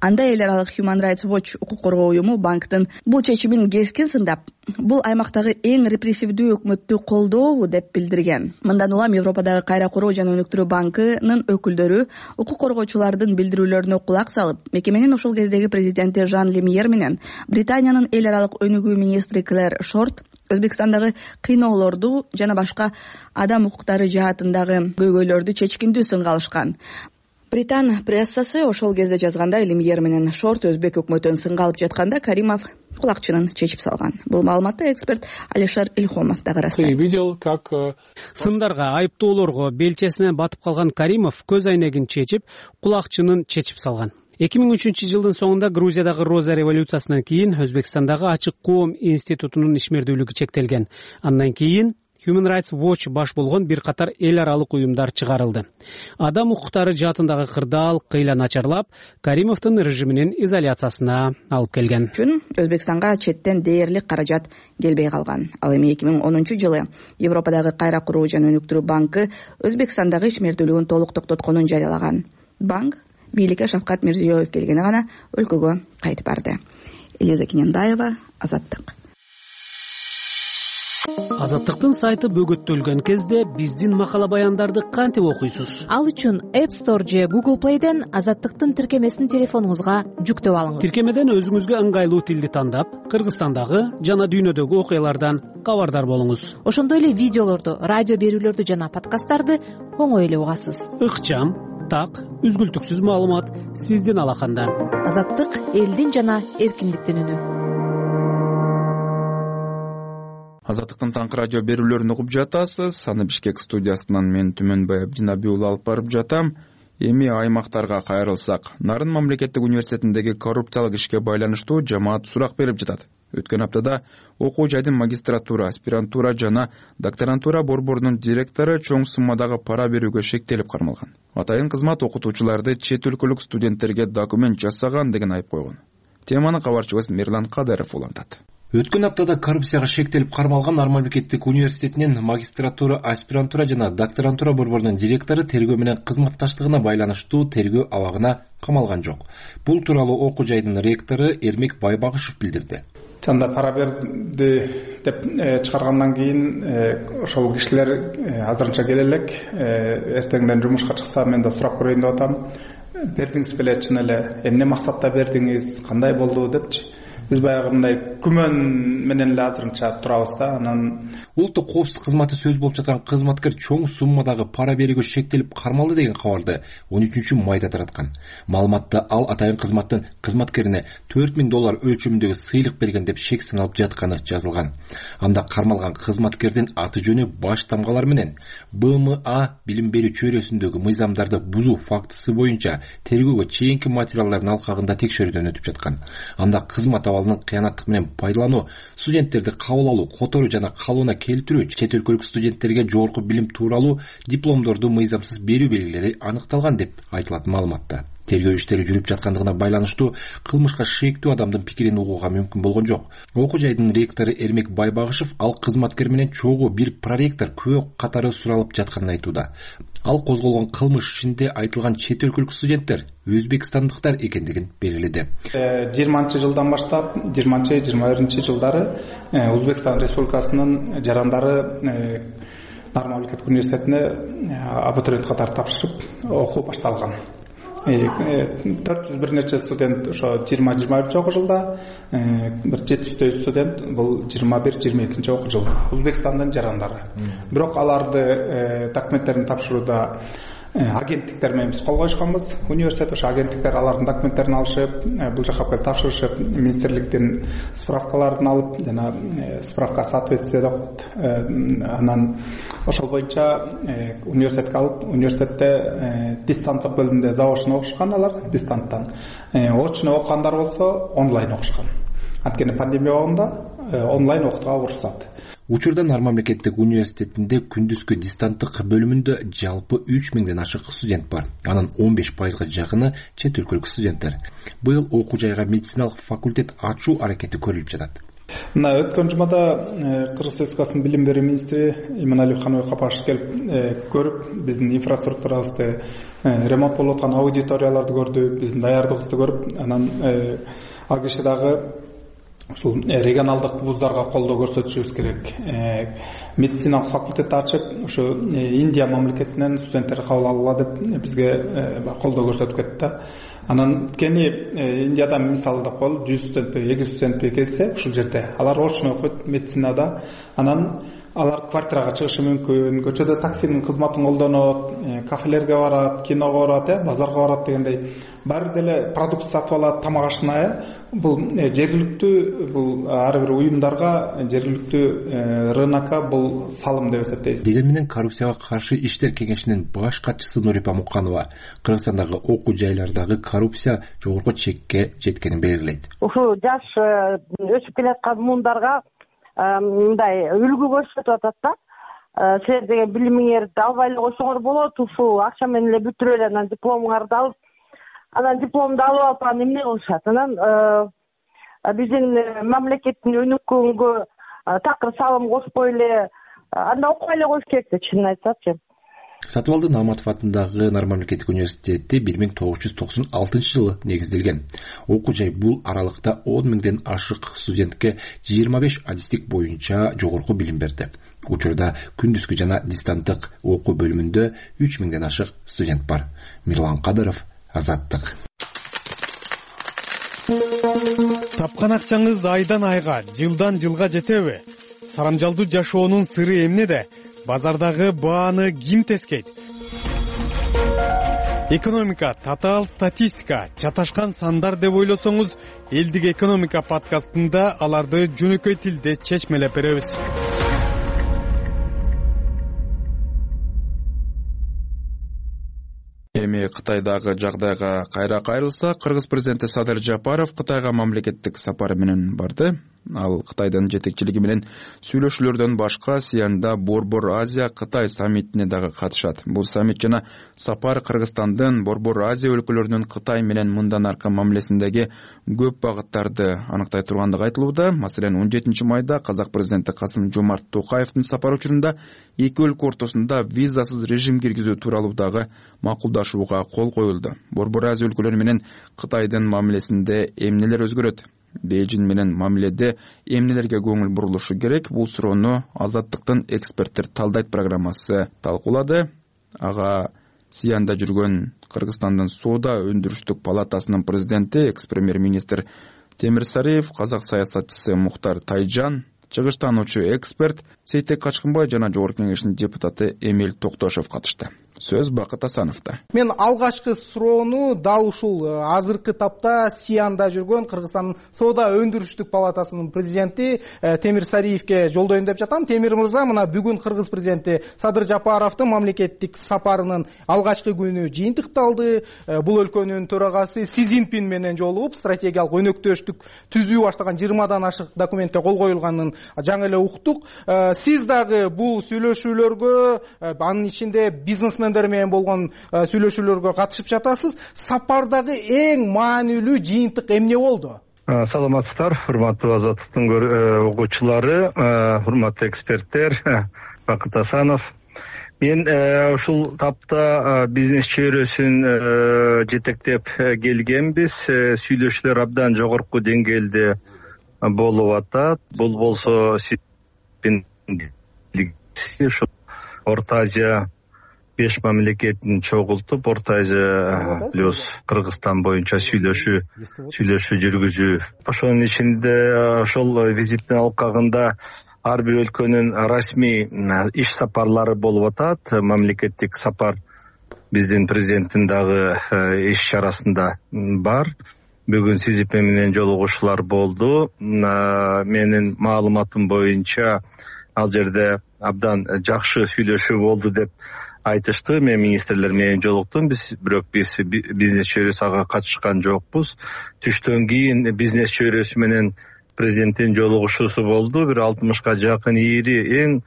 Анда эл аралык Human Rights Watch укук коргоо уюму банктын бул чечимин кескин сындап, бул аймактагы эң репрессивдүү өкмөттү колдообу деп билдирген. Мындан улам Европадагы кайра куруу жана өнүктүрүү банкынын өкүлдөрү укук коргоочулардын билдирүүлөрүнө кулак салып, мекеменин ошол кездеги президенти Жан Лемьер менен Британиянын эл аралык өнүгүү министри Клэр Шорт Өзбекстандагы кыйноолорду жана башка адам укуктары жаатындагы көйгөйлөрдү чечкиндүү сынга алышкан. Британ прессасы ошол кезде жазгандай, Лемьер менен Шорт Өзбек өкмөтүн сынга алып жатканда Каримов кулакчынын чечип салган. Бул маалыматты эксперт Алишер Илхомов дагы ырастайт. Видел, как сындарга, айыптоолорго белчесине батып калган Каримов көз айнегин чечип, кулакчынын чечип салган. 2003 жылдын соңунда Грузиядагы Роза революциясынан кийин Өзбекстандагы Ачык коом институтунун ишмердүүлүгү чектелген. Андан кийин Human Rights Watch баш болгон бир катар эл аралык уюмдар чыгарылды. Адам укуктары жаатындагы кырдаал кыйла начарлап, Каримовдун режиминин изоляциясына алып келген. Үчүн Өзбекстанга четтен дээрлик каражат келбей калган. Ал эми 2010 жылы Европадагы кайра куруу жана өнүктүрүү банкы Өзбекстандагы ишмердүүлүгүн толук токтотконун жарыялаган. Банк бийликке Шавкат Мирзиёев келгени гана өлкөгө кайтып барды. Элиза Кененбаева, Азаттык. Азаттыктын сайты бөгөттөлгөн кезде биздин макала баяндарды кантип окуйсуз? Ал үчүн App Store же Google Play'ден Азаттыктын тиркемесин телефонуңузга жүктөп алыңыз. Тиркемеден өзүңүзгө ыңгайлуу тилди тандап, Кыргызстандагы жана дүйнөдөгү окуялардан кабардар болуңуз. Ошондой эле видеолорду, радио берүүлөрдү жана подкасттарды оңой эле угасыз. Ыкчам, так, үзгүлтүксүз маалымат сиздин алаканда. Азаттык элдин жана эркиндиктин үнү. Азаттыктын таңкы радио берүүлөрүн угуп жатасыз. Аны Бишкек студиясынан мен Түмөнбай Абдинабиулу алып барып жатам. Эми аймактарга кайрылсак, Нарын мамлекеттик университетиндеги коррупциялык ишке байланыштуу жамаат сурак берип жатат. Өткөн аптада окуу жайдын магистратура, аспирантура жана докторантура борборунун директору чоң суммадагы пара берүүгө шектелип кармалган. Атайын кызмат окутуучуларды чет өлкөлүк студенттерге документ жасаган деген айып койгон. Теманы кабарчыбыз Мирлан Кадыров улантат. Өткөн аптада коррупцияга шектелип кармалган Нарын мамлекеттик университетинин магистратура, аспирантура жана докторантура борборунун директору тергөө менен кызматташтыгына байланыштуу тергөө абагына камалган жок. Бул тууралуу окуу жайдын ректору Эрмек Байбагышев билдирди. Жанда пара берди деп чыгаргандан кийин ошол кишилер азырынча келе элек, эртеңден жумушка чыкса мен да сурап көрөйүн деп атам. Бердиңиз беле, чын эле эмне максатта бердиңиз, кандай болду депчи. Биз баягындай күмөн менен эле азырынча турабыз да. Анан улуттук коопсуздук кызматы сөз болуп жаткан кызматкер чоң суммадагы пара берүүгө шектелип кармалды деген кабарды 13-майда тараткан. Маалыматта ал атайын кызматтын кызматкерине $4000 өлчөмүндөгү сыйлык берген деп шек саналып жатканы жазылган. Анда кармалган кызматкердин аты жөнү баш тамгалар менен БМА билим берүү чөйрөсүндөгү мыйзамдарды бузуу фактысы боюнча тергөөгө чейинки материалдардын алкагында текшерүүдөн өтүп жаткан. Анда кызмат абалынын кыянаттык менен пайдалануу, студенттерди кабыл алуу, которуу жана калууна келтирүү, чет өлкөлүк студенттерге жогорку билим тууралуу дипломдорду мыйзамсыз берүү белгилери аныкталган деп айтылат маалыматта. Тергөө иштери жүрүп жаткандыгына байланыштуу кылмышка шектүү адамдын пикирин угууга мүмкүн болгон жок. Окуу жайдын ректору Эрмек Байбагышев ал кызматкер менен чогуу бир проректор күбө катары суралып жатканын айтууда. Ал козголгон кылмыш ишинде айтылган чет өлкөлүк студенттер өзбекстандыктар экендигин белгиледи. 20-жылдан баштап 20-21 жылдары Өзбекстан Республикасынын жарандары Нарма мамлекеттик университетине абитуриент катары тапшырып окуу башталган. 400 бир нече студент ошо 20-21 окуу жылда, бир 700 студент бул 21-22 окуу жыл Өзбекстандын жарандары. Бирок аларды документтерин тапшырууда агенттиктер менен биз кол коюшканбыз. Университет ошо агенттиктер алардын документтерин алышып, бул жака келип тапшырышып, министрликтин справкаларын алып, жана справка соответствие деп коет. Анан ошол боюнча университетке алып, университетте дистанттык бөлүмдө заочно окушкан алар, дистанттан. Очно окугандар болсо онлайн окушкан. Анткени пандемия убагында онлайн окутууга уруксат. Учурда Нарма мамлекеттик университетинде күндүзгү дистанттык бөлүмүндө жалпы 3000ден ашык студент бар. Анын 15%га жакыны чет өлкөлүк студенттер. Быйыл окуу жайга медициналык факультет ачуу аракети көрүлүп жатат. Мына өткөн жумада Кыргыз Республикасынын билим берүү министри Иманалиев Ханыбек Капашев келип көрүп, биздин инфраструктурабызды, ремонт болуп аткан аудиторияларды көрдү, биздин даярдыгыбызды көрүп, анан ал киши дагы ушул регионалдык вуздарга колдоо көрсөтүшүбүз керек. Медициналык факультет ачып, ушу Индия мамлекетинен студенттер кабыл алгыла деп бизге колдоо көрсөтүп кетти. Анан кени Индиядан мисалы деп коелу, 100 студент, 200 студент келсе, ушул жерде алар очно окуйт медицинада. Анан алар квартирага чыгышы мүмкүн, көчөдө таксинин кызматын колдонот, кафелерге барат, киного барат, базарга барат дегендей баары деле продукт сатып алат, тамак ашына. Бул жергиликтүү, бул ар бир уюмдарга, жергиликтүү рынокко бул салым деп эсептейбиз. Деген менен коррупцияга каршы иштер кеңешинин баш катчысы Нурипа Муканова Кыргызстандагы окуу жайлардагы коррупция жогорку чекке жеткенин белгилейт. Ушул жаш өсүп келаткан муундарга мындай үлгү көрсөтүп атат да. Силер деген билимиңерди албай эле койсоңор болот, ушул акча менен эле бүтүрүп эле анан дипломуңарды алып, анан дипломду алып алып анан эмне кылышат? Анан биздин мамлекеттин өнүккөнгө такыр салым кошпой эле анда окубай эле коюш керек да, чынын айтсачы. Сатыбалды Нааматов атындагы Нарма мамлекеттик университети 1996 жылы негизделген. Окуу жай бул аралыкта 10 000ден ашык студентке 25 адистик боюнча жогорку билим берди. Учурда күндүзгү жана дистанттык окуу бөлүмүндө 3000ден ашык студент бар. Мирлан Кадыров, Азаттык. Тапкан акчаңыз айдан айга, жылдан жылга жетеби? Сарамжалдуу жашоонун сыры эмнеде? Базардагы бааны ким тескейт? Экономика, татаал статистика, чаташкан сандар деп ойлосоңуз, элдик экономика подкастында аларды жөнөкөй тилде чечмелеп беребиз. Эми Кытайдагы жагдайга кайра кайрылсак, Кыргыз президенти Садыр Жапаров Кытайга мамлекеттик сапары менен барды. Ал Кытайдын жетекчилиги менен сүйлөшүүлөрдөн башка Сианда Борбор Азия Кытай саммитине дагы катышат. Бул саммит жана сапар Кыргызстандын Борбор Азия өлкөлөрүнүн Кытай менен мындан аркы мамилесиндеги көп багыттарды аныктай тургандыгы айтылууда. Маселен, 17 майда казак президенти Касым-Жомарт Токаевдин сапары учурунда эки өлкө ортосунда визасыз режим киргизүү тууралуу дагы макулдашууга кол коюлду. Борбор Азия өлкөлөрү менен Кытайдын мамилесинде эмнелер өзгөрөт? Бейжин менен мамиледе эмнелерге көңүл бурулушу керек? Бул суроону Азаттыктын эксперттер талдайт программасы талкуулады. Ага Сианда жүргөн Кыргызстандын соода өндүрүштүк палатасынын президенти, экс-премьер-министр Темир Сариев, казак саясатчысы Мухтар Тайжан, чыгыштануучу эксперт Сейтек Качкынбай жана Жогорку Кеңештин депутаты Эмил Токтошев катышты. Сөз Бакыт Асановдо. Мен алгачкы суроону дал ушул азыркы тапта Сианда жүргөн Кыргызстандын соода өндүрүштүк палатасынын президенти Темир Сариевке жолдоюн деп жатам. Темир мырза, мына бүгүн Кыргыз президенти Садыр Жапаровдун мамлекеттик сапарынын алгачкы күнү жыйынтыкталды. Бул өлкөнүн төрагасы Си Цзиньпин менен жолугуп, стратегиялык өнөктөштүк түзүү баштаган 20дан ашык документке кол коюлганын жаңы эле уктук. Сиз дагы бул сүйлөшүүлөргө, анын ичинде бизнесмендер менен болгон сүйлөшүүлөргө катышып жатасыз. Сапардагы эң маанилүү жыйынтык эмне болду? Саламатсыздар, урматтуу Азаттыктын угуучулары, урматтуу эксперттер, Бакыт Асанов. Мен ушул тапта бизнес чөйрөсүн жетектеп келгенбиз. Сүйлөшүүлөр абдан жогорку деңгээлде болуп атат. Бул болсо Орто Азия 5 мамлекетин чогултуп, Орто Азия плюс Кыргызстан боюнча сүйлөшүү жүргүзүү. Ошонун ичинде ошол визиттин алкагында ар бир өлкөнүн расмий иш сапарлары болуп атат. Мамлекеттик сапар биздин президенттин дагы иш чарасында бар. Бүгүн Си Цзиньпин менен жолугушуулар болду. Менин маалыматым боюнча ал жерде абдан жакшы сүйлөшүү болду деп айтышты. Мен министрлер менен жолуктум. Бирок биз бизнес чөйрөсү ага катышкан жокпуз. Түштөн кийин бизнес чөйрөсү менен президенттин жолугушуусу болду. Бир 60га жакын ири эң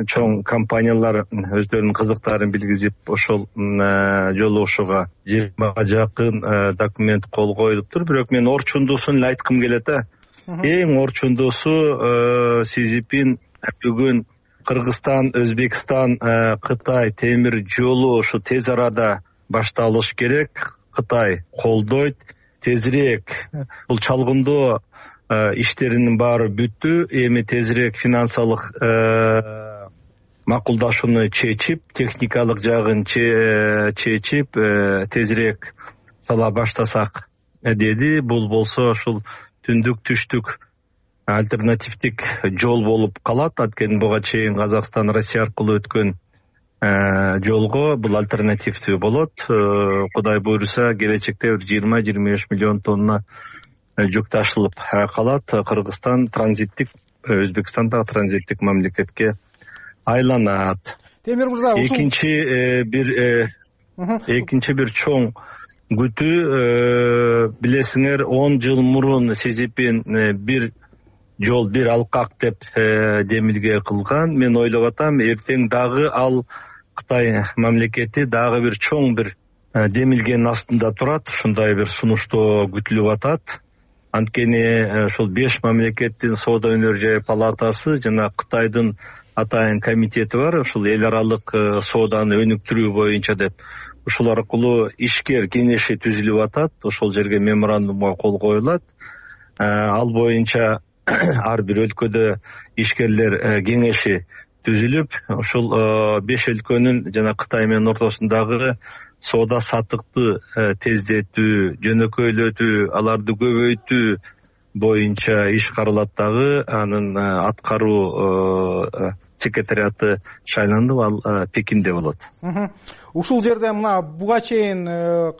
чоң компаниялар өздөрүнүн кызыктарын билгизип, ошол жолугушууга 20га жакын документ кол коюлуптур. Бирок мен орчундуусун эле айткым келет. Эң орчундуусу Си Цзиньпин бүгүн Кыргызстан, Өзбекстан, Кытай темир жолу ушу тез арада башталыш керек. Кытай колдойт. Тезирээк бул чалгындоо иштеринин баары бүттү. Эми тезирээк финансылык макулдашууну чечип, техникалык жагын чечип, тезирээк сала баштасак деди. Бул болсо ушул түндүк түштүк альтернативдик жол болуп калат. Анткени буга чейин Казакстан Россия аркылуу өткөн жолго бул альтернативдүү болот. Кудай буйруса келечекте 20-25 миллион тонна жүк ташылып калат. Кыргызстан транзиттик, Өзбекстан да транзиттик мамлекетке айланат. Темир мырза, экинчи бир чоң күтүү, билесиңер, 10 жыл мурун Си Цзиньпин бир жол, бир алкак деп демилге кылган. Мен ойлоп атам, эртең дагы ал Кытай мамлекети дагы бир чоң бир демилгенин астында турат. Ушундай бир сунуштоо күтүлүп атат. Анткени ушул 5 мамлекеттин соода өнөр жай палатасы жана Кытайдын атайын комитети бар. Ушул эл аралык сооданы өнүктүрүү боюнча деп. Ушул аркылуу ишкер кеңеши түзүлүп атат. Ошол жерге меморандумга кол коюлат. Ал боюнча ар бир өлкөдө ишкерлер кеңеши түзүлүп, ушул 5 өлкөнүн жана Кытай менен ортосундагы соода саттыкты тездетүү, жөнөкөйлөтүү, аларды көбөйтүү боюнча иш каралат дагы. Анын аткаруу секретариаты шайланып, ал Пекинде болот. Ушул жерде мына буга чейин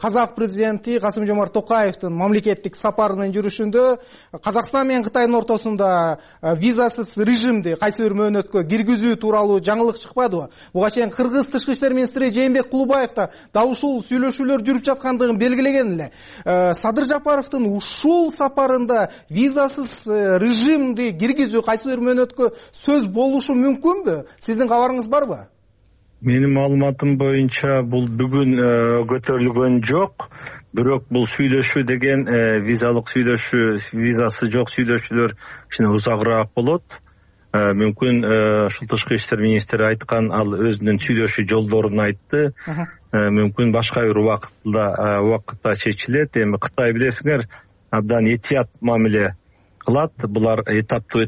Казак президенти Касым-Жомарт Токаевдин мамлекеттик сапары менен жүрүшүндө Казакстан менен Кытайдын ортосунда визасыз режимди кайсы бир мөөнөткө киргизүү тууралуу жаңылык чыкпадыбы? Буга чейин Кыргыз тышкы иштер министри Жээнбек Кулубаев да дал ушул сүйлөшүүлөр жүрүп жаткандыгын белгилеген эле. Садыр Жапаровдун ушул сапарында визасыз режимди киргизүү кайсы бир мөөнөткө сөз болушу мүмкүнбү? Сиздин кабарыңыз барбы? Менин маалыматым боюнча бул бүгүн көтөрүлгөн жок. Бирок бул сүйлөшүү деген визалык сүйлөшүү, визасы жок сүйлөшүүлөр кичине узагыраак болот. Мүмкүн ушул тышкы иштер министри айткан, ал өзүнүн сүйлөшүү жолдорун айтты. Мүмкүн башка бир убакытта чечилет. Эми Кытай билесиңер, абдан этият мамиле кылат. Булар этаптуу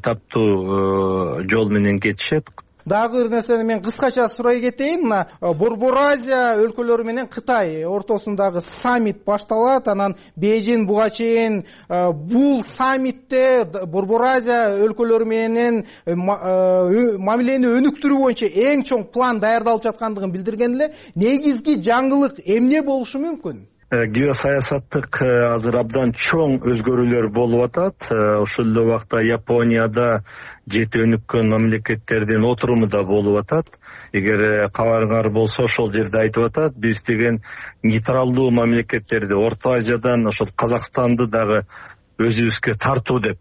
жол менен кетишет. Дагы бир нерсени мен кыскача сурай кетейин. Мына Борбор Азия өлкөлөрү менен Кытай ортосундагы саммит башталат. Анан Бейжин буга чейин бул саммитте Борбор Азия өлкөлөрү менен мамилени өнүктүрүү боюнча эң чоң план даярдалып жаткандыгын билдирген эле. Негизги жаңылык эмне болушу мүмкүн? Геосаясаттык азыр абдан чоң өзгөрүүлөр болуп атат. Ошол эле убакта Японияда жети өнүккөн мамлекеттердин отуруму да болуп атат. Эгер кабарыңар болсо, ошол жерде айтып атат, биз деген нейтралдуу мамлекеттерди, Орто Азиядан ошол Казакстанды дагы өзүбүзгө тартуу деп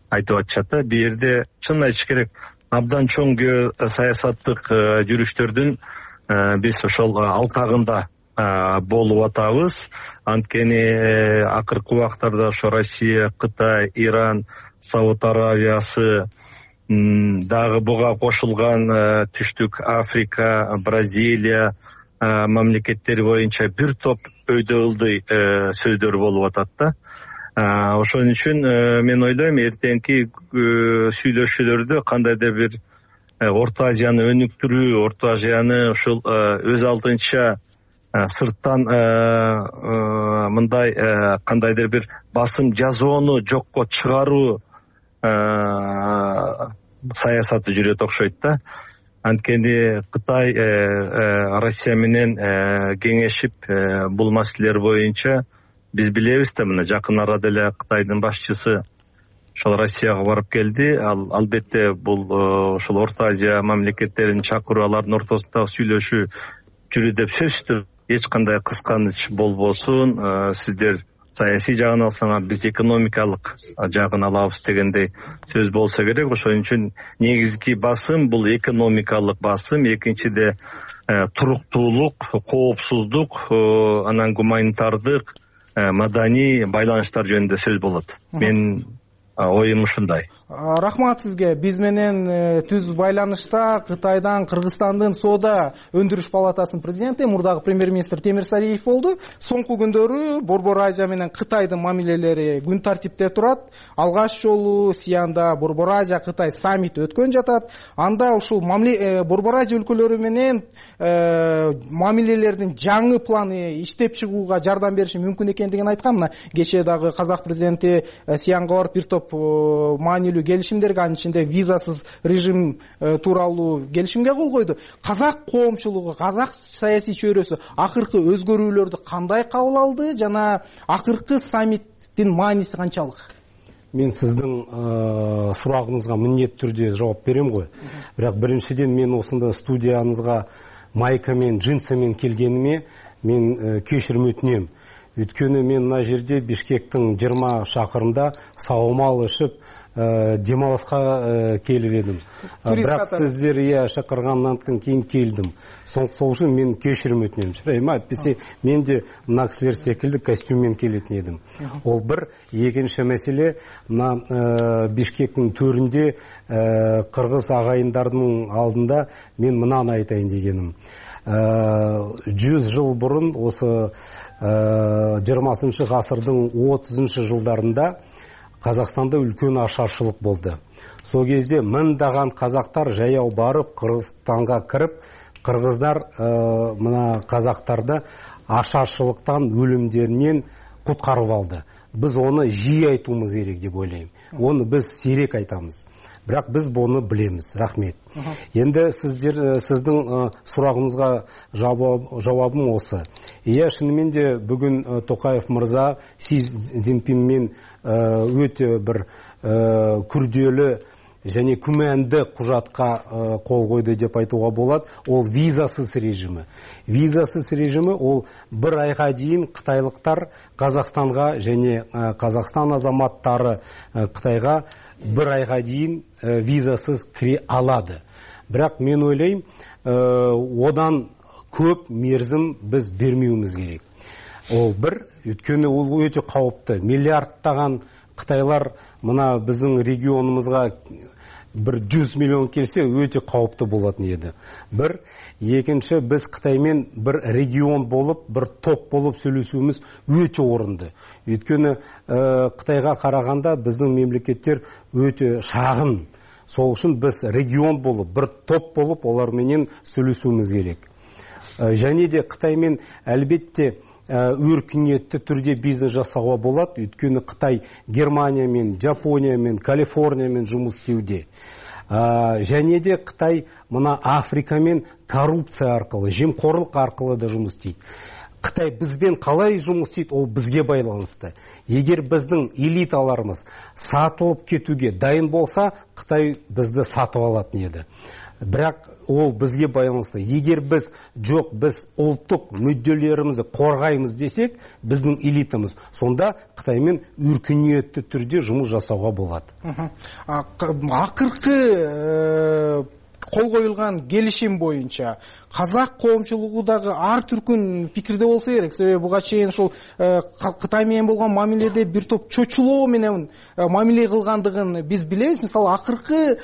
айтып атышат. Бул жерде чын айтыш керек, абдан чоң геосаясаттык жүрүштөрдүн биз ошол алкагында болуп атабыз. Анткени акыркы убактарда ошо Россия, Кытай, Иран, Сауд Аравиясы, дагы буга кошулган Түштүк Африка, Бразилия мамлекеттери боюнча бир топ өйдө ылдый сөздөр болуп атат да. Ошон үчүн мен ойлойм, эртеңки сүйлөшүүлөрдө кандайдыр бир Орто Азияны өнүктүрүү, Орто Азияны ушул өз алдынча сырттан мындай кандайдыр бир басым жасоону жокко чыгаруу саясаты жүрөт окшойт да. Анткени Кытай Россия менен кеңешип бул маселелер боюнча биз билебиз да, мына жакын арада эле Кытайдын башчысы ошол Россияга барып келди. Албетте бул ошол Орто Азия мамлекеттерин чакыруу, алардын ортосундагы сүйлөшүү жүрүү деп сөзсүз. Эч кандай кысканыч болбосун, сиздер саясий жагын алсаңар, биз экономикалык жагын алабыз дегендей сөз болсо керек. Ошон үчүн негизги басым бул экономикалык басым, экинчиде туруктуулук, коопсуздук, анан гуманитардык, маданий байланыштар жөнүндө сөз болот. Мен оюм ушундай. Рахмат сизге. Биз менен түз байланышта Кытайдан Кыргызстандын соода өндүрүш палатасынын президенти, мурдагы премьер-министр Темир Сариев болду. Соңку күндөрү Борбор Азия менен Кытайдын мамилелери күн тартипте турат. Алгаш жолу Сианда Борбор Азия Кытай саммити өткөн жатат. Анда ушул Борбор Азия өлкөлөрү менен мамилелердин жаңы планы иштеп чыгууга жардам бериши мүмкүн экендигин айткан. Мына кечээ дагы казак президенти Сианга барып бир топ маанилүү келишимдерге, анын ичинде визасыз режим тууралуу келишимге кол койду. Казак коомчулугу, казак саясий чөйрөсү акыркы өзгөрүүлөрдү кандай кабыл алды жана акыркы саммиттин мааниси канчалык? Мен сиздин сурагыңызга міндетті түрде жооп берем ғой. Бирок биринчиден мен осында студиянызга майка менен, джинсы менен келгениме мен кечирим өтүнөм. Өткөнү мен мына жерде Бишкектин 20 шакырында саумал ишип демалыска келип едим. Бирок сиздер шакыргандан кийин келдим. Сол үчүн мен кечирим өтүнөм. Чырайма айтпесе мен де мына кисилер секилди костюммен келетин едим. Ол бир. Экинчи маселе, мына Бишкектин төрүндө кыргыз агайындардын алдында мен мынаны айтайын дегеним. 100 жыл бурун осы 20 ғасырдың 30 жылдарында Қазақстанда үлкен ашаршылық болды. Сол кезде мыңдаған қазақтар жаяу барып Қырғызстанға кіріп, қырғыздар мына қазақтарды ашаршылықтан, өлімдерінен құтқарып алды. Біз оны жиі айтуымыз керек деп ойлаймын. Оны біз сирек айтамыз. Бірақ біз бұны білеміз. Рахмет. Енді сіздің сұрағыңызға жауабым осы. Шынымен де бүгін Тоқаев мырза Си Цзиньпинмен өте бір күрделі және күмәнді құжатқа қол қойды деп айтуға болады. Ол визасыз режимі. Визасыз режимі ол бір айға дейін қытайлықтар Қазақстанға және Қазақстан азаматтары Қытайға бір айға дейін визасыз кіре алады. Бірақ мен ойлаймын, одан көп мерзім біз бермеуіміз керек. Ол бір, өйткені ол өте қауіпті. Миллиардтаған қытайлар мына біздің регионымызға бір 100 миллион келсе өте қауіпті болатын еді. Бір, екінші, біз Қытаймен бір регион болып, бір топ болып сөйлесуіміз өте орынды. Өйткені Қытайға қарағанда біздің мемлекеттер өте шағын. Сол үшін біз регион болып, бір топ болып, оларменен сөйлесуіміз керек. Және де Қытаймен әлбетте өркениетті түрде бизнес жасауға болады. Өйткені Қытай Германиямен, Жапониямен, Калифорниямен жұмыс істеуде. Және де Қытай мына Африкамен коррупция арқылы, жемқорлық арқылы да жұмыс істейді. Қытай бізбен қалай жұмыс істейді, ол бізге байланысты. Егер біздің элиталарымыз сатылып кетуге дайын болса, Қытай бізді сатып алатын еді. Бірақ ол бізге байланысты. Егер біз ұлттық мүдделерімізді қорғаймыз десек, біздің элитамыз, сонда Қытаймен өркениетті түрде жұмыс жасауға болады. Ақыркы кол коюлган келишим боюнча казак коомчулугу ар түркүн пикирде болсо керек. Себеби буга чейин ушул Кытай менен болгон мамиледе бир топ чочулоо менен мамиле кылгандыгын биз билебиз. Мисалы акыркы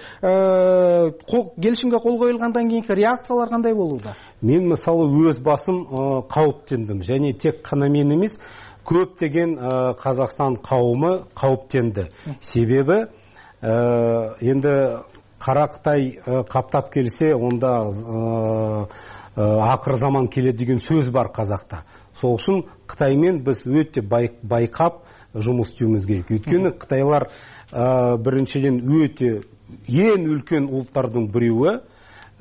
келишимге кол коюлгандан кийинки реакциялар кандай болууда? Мен мисалы өз басым кауіптендім. Және тек қана мен емес, көптеген Қазақстан қауымы қауіптенді. Себебі енді кара Кытай каптап келсе, онда акыр заман келет деген сөз бар казакта. Сол үчүн Кытаймен биз өтө байкап жумуш істеуіміз керек. Өйткені Кытайлар біріншіден өте ең үлкен ұлттардың біреуі,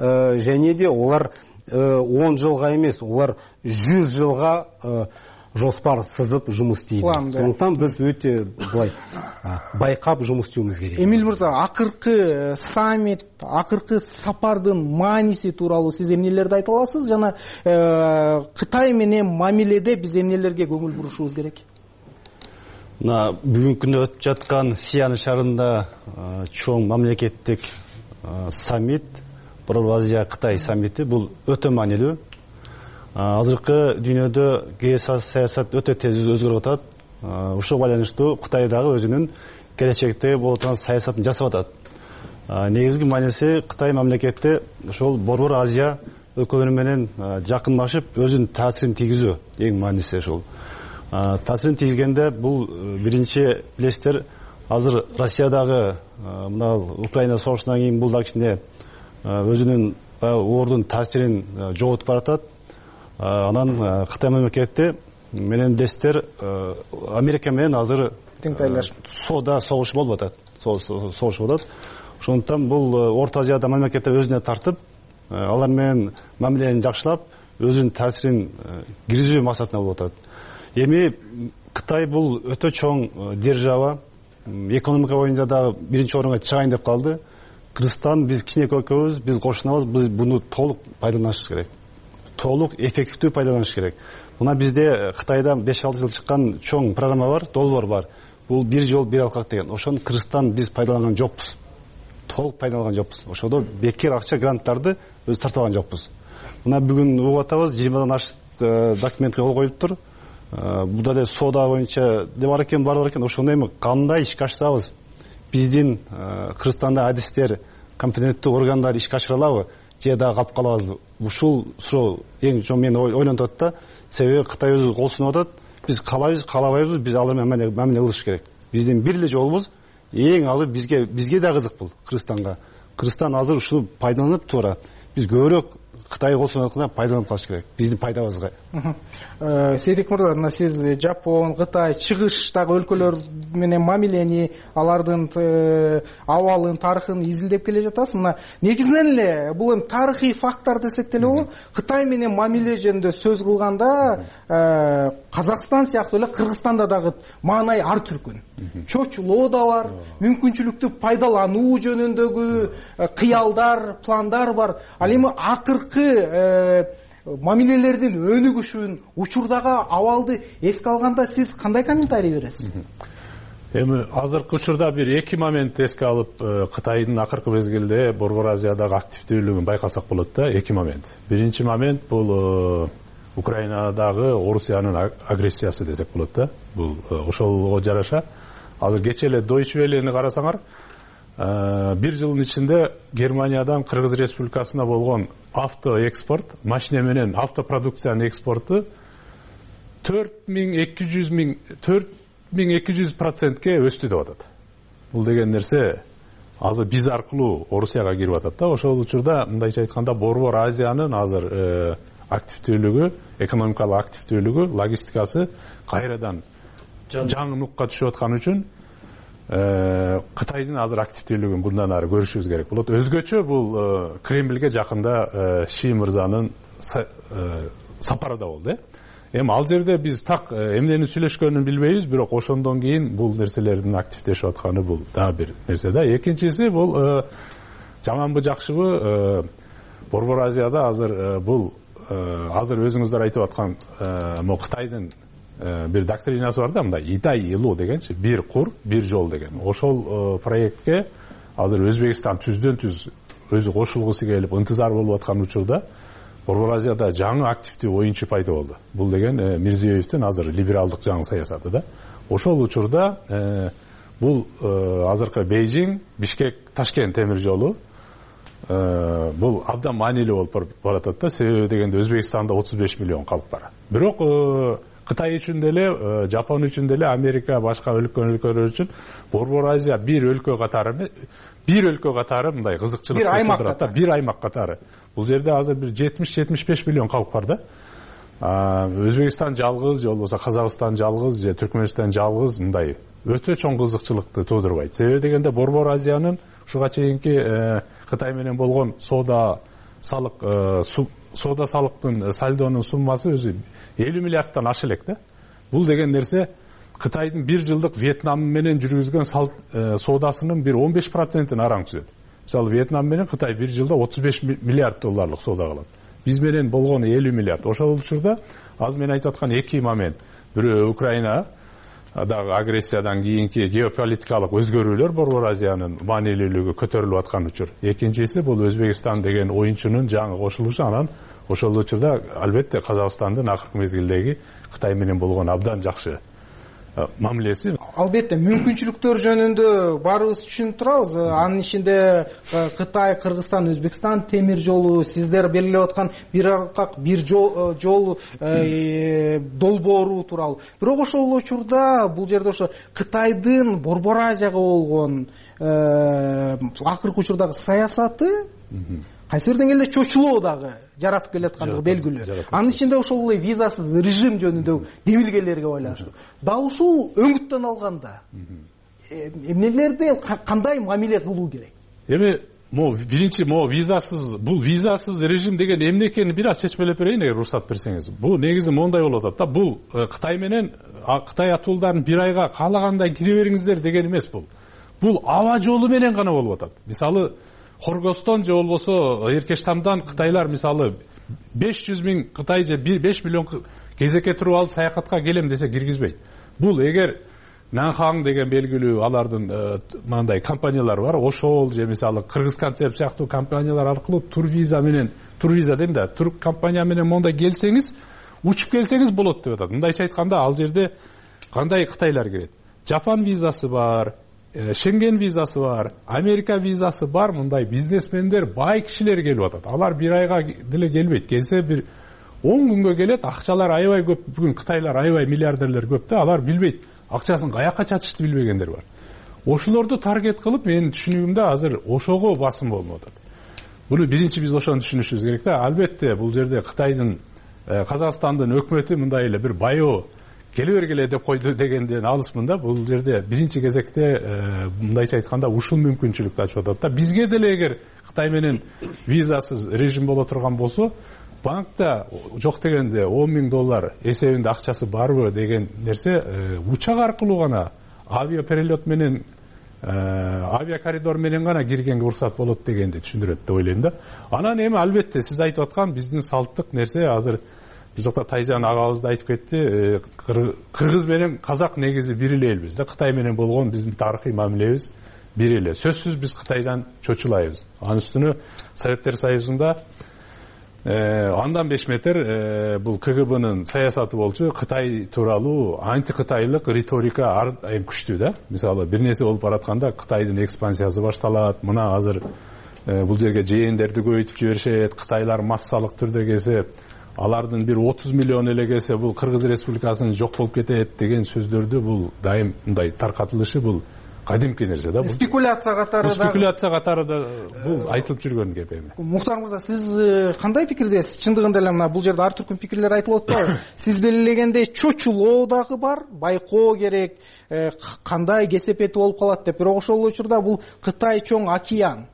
және де олар 10 жылға емес, олар 100 жылға жоспар сызып жұмыс істейді. Сондықтан біз өте байқап жұмыс істеуіміз керек. Эмиль мырза, акыркы саммит, акыркы сапардын мааниси тууралуу сиз эмнелерди айта аласыз? Жана Кытай менен мамиледе биз эмнелерге көңүл бурушубуз керек? Мына бүгүнкү күндө өтүп жаткан Сиан шаарында чоң мамлекеттик саммит, Борбор Азия Кытай саммити, бул өтө маанилүү. Азыркы дүйнөдө геосаясат өтө тез өзгөрүп атат. Ушуга байланыштуу Кытай дагы өзүнүн келечекте болуп аткан саясатын жасап атат. Негизги мааниси Кытай мамлекети ошол Борбор Азия өлкөлөрү менен жакынлашып, өзүнүн таасирин тийгизүү эң мааниси ошол. Таасирин тийгизгенде бул биринчи билесиздер, азыр Россиядагы мына Украина согушунан кийин бул да кичине өзүнүн ордун таасирин жоготуп баратат. Анан Кытай мамлекети менен билесиздер, Америка менен азыр соода согуш болуп атат. Согуш болуп атат. Ошондуктан бул Орто Азияда мамлекеттер өзүнө тартып, алар менен мамилени жакшылап, өзүнүн таасирин киргизүү максатында болуп атат. Эми Кытай бул өтө чоң держава, экономика боюнча дагы биринчи орунга чыгайын деп калды. Кыргызстан, биз кичинекей өлкөбүз, биз кошунабыз, биз буну толук пайдаланышыбыз керек. Толук эффективдүү пайдаланыш керек. Мына бизде Кытайда 5-6 жыл чыккан чоң программа бар, долбоор бар. Бул бир жол бир алкак деген. Ошону Кыргызстан биз пайдаланган жокпуз. Толук пайдаланган жокпуз. Ошодо бекер акча, гранттарды өз тартып алган жокпуз. Мына бүгүн угуп атабыз, 20дан ашык документке кол коюлуптур. Бул да соода боюнча бар экен, бар экен. Ошону эми кандай ишке ашсабыз, биздин Кыргызстанда адистер, компетенттүү органдар ишке ашыра алабы, же дагы калып калабызбы? Ушул суроо эң чоң мени ойлонтуп атат да. Себеби Кытай өзү кол сунуп атат. Биз калайбыз, калабайбыз, биз алар менен мамиле кылыш керек. Биздин бир эле жолубуз, эң алып бизге да кызык бул Кыргызстанга. Кыргызстан азыр ушуну пайдаланып туура. Биз көбүрөөк Кытай кол сунуп атканда пайдаланып калыш керек. Биздин пайдабызга. Сейдик мырза, мына сиз Жапон, Кытай, чыгыштагы өлкөлөр менен мамилени, алардын абалын, тарыхын изилдеп келе жатасыз. Мына негизинен эле бул эми тарыхый факттар десек деле болот. Кытай менен мамиле жөнүндө сөз кылганда Казакстан сыяктуу эле Кыргызстанда дагы маанай ар түркүн. Чочулоо да бар, мүмкүнчүлүктү пайдалануу жөнүндөгү кыялдар, пландар бар. Ал эми акыркы мамилелердин өнүгүшүн, учурдагы абалды эске алганда сиз кандай комментарий бересиз? Эми азыркы учурда бир эки момент эске алып, Кытайдын акыркы мезгилде Борбор Азиядагы активдүүлүгүн байкасак болот да. Эки момент. Биринчи момент бул Украинадагы Орусиянын агрессиясы десек болот да. Бул ошолго жараша азыр кечээ эле Deutsche Welle'ни карасаңар, бир жылдын ичинде Германиядан Кыргыз Республикасына болгон автоэкспорт, машина менен автопродукциянын экспорту 4200% өстү деп атат. Бул деген нерсе азыр биз аркылуу Орусияга кирип атат да. Ошол учурда мындайча айтканда Борбор Азиянын азыр активдүүлүгү, экономикалык активдүүлүгү, логистикасы кайрадан жаңы нукка түшүп аткан үчүн Кытайдын азыр активдүүлүгүн bundan ары көрүшүбүз керек болот. Өзгөчө бул Кремльге жакында Ши мырзанын сапары да болду. Эми ал жерде биз так эмнени сүйлөшкөнүн билбейбиз, бирок ошондон кийин бул нерселердин активдешип атканы бул дагы бир нерсе да. Экинчиси бул жаманбы жакшыбы Борбор Азияда азыр бул азыр өзүңүздөр айтып аткан могу Кытайдын бир доктринасы бар да, мындай Идай Илу дегенчи, бир кур, бир жол деген. Ошол проектке азыр Өзбекстан түздөн-түз өзү кошулгусу келип ынтызар болуп аткан учурда Борбор Азияда жаңы активдүү оюнчу пайда болду. Бул деген Мирзиёевдин азыр либералдык жаңы саясаты да. Ошол учурда бул азыркы Бейжиң, Бишкек, Ташкент темир жолу бул абдан маанилүү болуп баратат да. Себеби дегенде Өзбекстанда 35 миллион калк бар. Бирок Кытай үчүн деле, Жапон үчүн деле, Америка, башка өлкөлөр үчүн Борбор Азия бир өлкө катары бир өлкө катары мындай кызыкчылык туудурат да, бир аймак катары. Бул жерде азыр бир 70-75 миллион калк бар да. Өзбекстан жалгыз же болбосо Казакстан жалгыз же Түркмөнстан жалгыз мындай өтө чоң кызыкчылыкты туудурбайт. Себеби дегенде Борбор Азиянын ушуга чейинки Кытай менен болгон соода салыктын сальдонун суммасы өзү 50 миллиардтан аша элек да. Бул деген нерсе Кытайдын бир жылдык Вьетнам менен жүргүзгөн соодасынын бир 15%-ын араң түзөт. Мисалы Вьетнам менен Кытай бир жылда 35 миллиард долларлык соода кылат. Биз менен болгону 50 миллиард. Ошол учурда азыр мен айтып аткан эки момент. Бирөө Украина дагы агрессиядан кийинки геополитикалык өзгөрүүлөр Борбор Азиянын маанилүүлүгү көтөрүлүп аткан учур. Экинчиси бул Өзбекстан деген оюнчунун жаңы кошулушу, анан ошол учурда албетте Казакстандын акыркы мезгилдеги Кытай менен болгон абдан жакшы мамилеси. Албетте мүмкүнчүлүктөр жөнүндө баарыбыз түшүнүп турабыз. Анын ичинде Кытай, Кыргызстан, Өзбекстан темир жолу, сиздер белгилеп аткан бир аркак бир жол долбоору тууралуу. Бирок ошол учурда бул жерде ошо Кытайдын Борбор Азияга болгон акыркы учурдагы саясаты кайсы бир деңгээлде чочулоо дагы жаратып келаткандыгы белгилүү. Анын ичинде ошол эле визасыз режим жөнүндө демилгелерге байланыштуу. Дал ушул өңүттөн алганда эмнелерди кандай мамиле кылуу керек? Эми биринчи бул визасыз режим деген эмне экенин бир аз чечмелеп берейин, эгер уруксат берсеңиз. Бул негизи мондай болуп атат да. Бул Кытай менен Кытай атуулдарын бир айга каалагандай кире бериңиздер деген эмес бул. Бул аба жолу менен гана болуп атат. Мисалы Хоргостон же болбосо Эркештамдан кытайлар мисалы 500 миң Кытай же 5 миллион кезекке туруп алып саякатка келем десе киргизбейт. Бул эгер Нанхаң деген белгилүү алардын мындай компаниялары бар, ошол же мисалы Кыргыз концепт сыяктуу компаниялар аркылуу турвиза дейм да, тур компания менен мондай келсеңиз, учуп келсеңиз болот деп атат. Мындайча айтканда ал жерде кандай кытайлар кирет? Жапан визасы бар, Шенген визасы бар, Америка визасы бар, мындай бизнесмендер, бай кишилер келип атат. Алар бир айга деле келбейт. Келсе бир 10 күнгө келет, акчалар аябай көп. Бүгүн кытайлар аябай миллиардерлер көп да, алар билбейт. Акчасын каяка чачышты билбегендер бар. Ошолорду таргет кылып, менин түшүнүгүмдө азыр ошого басым болуп атат. Буну биринчи биз ошону түшүнүшүбүз керек да. Албетте бул жерде Кытайдын, Казакстандын өкмөтү мындай эле бир байоо келе бергиле деп койду дегенден алысмын да. Бул жерде биринчи кезекте мындайча айтканда ушул мүмкүнчүлүктү ачып атат да. Бизге деле эгер Кытай менен визасыз режим боло турган болсо, банкта жок дегенде 10 миң доллар эсебинде акчасы барбы деген нерсе учак аркылуу гана авиаперелет менен авиакоридор менен гана киргенге уруксат болот дегенди түшүндүрөт деп ойлойм да. Анан эми албетте сиз айтып аткан биздин салттык нерсе азыр биз жакта Тайжан агабыз да айтып кетти, Кыргыз менен Казак негизи бир эле элбиз да. Кытай менен болгон биздин тарыхый мамилебиз бир эле. Сөзсүз биз Кытайдан чочулайбыз. Анын үстүнө Советтер Союзунда андан 5 метр бул КГБнын саясаты болчу. Кытай тууралуу антикытайлык риторика айым күчтүү да. Мисалы бир нерсе болуп баратканда Кытайдын экспансиясы башталат. Мына азыр бул жерге жээндерди көбөйтүп жиберишет. Кытайлар массалык түрдө келсе, алардын бир 30 миллион эле келсе, бул Кыргыз Республикасынын жок болуп кетет деген сөздөрдү бул дайым мындай таркатылышы бул кадимки нерсе да. Спекуляция катары да бул айтылып жүргөн кеп эми. Мухтар мырза, сиз кандай пикирдесиз? Чындыгында эле мына бул жерде ар түркүн пикирлер айтылып атпайбы? Сиз белгилегендей чочулоо дагы бар, байкоо керек, кандай кесепети болуп калат деп. Бирок ошол учурда бул Кытай чоң океан.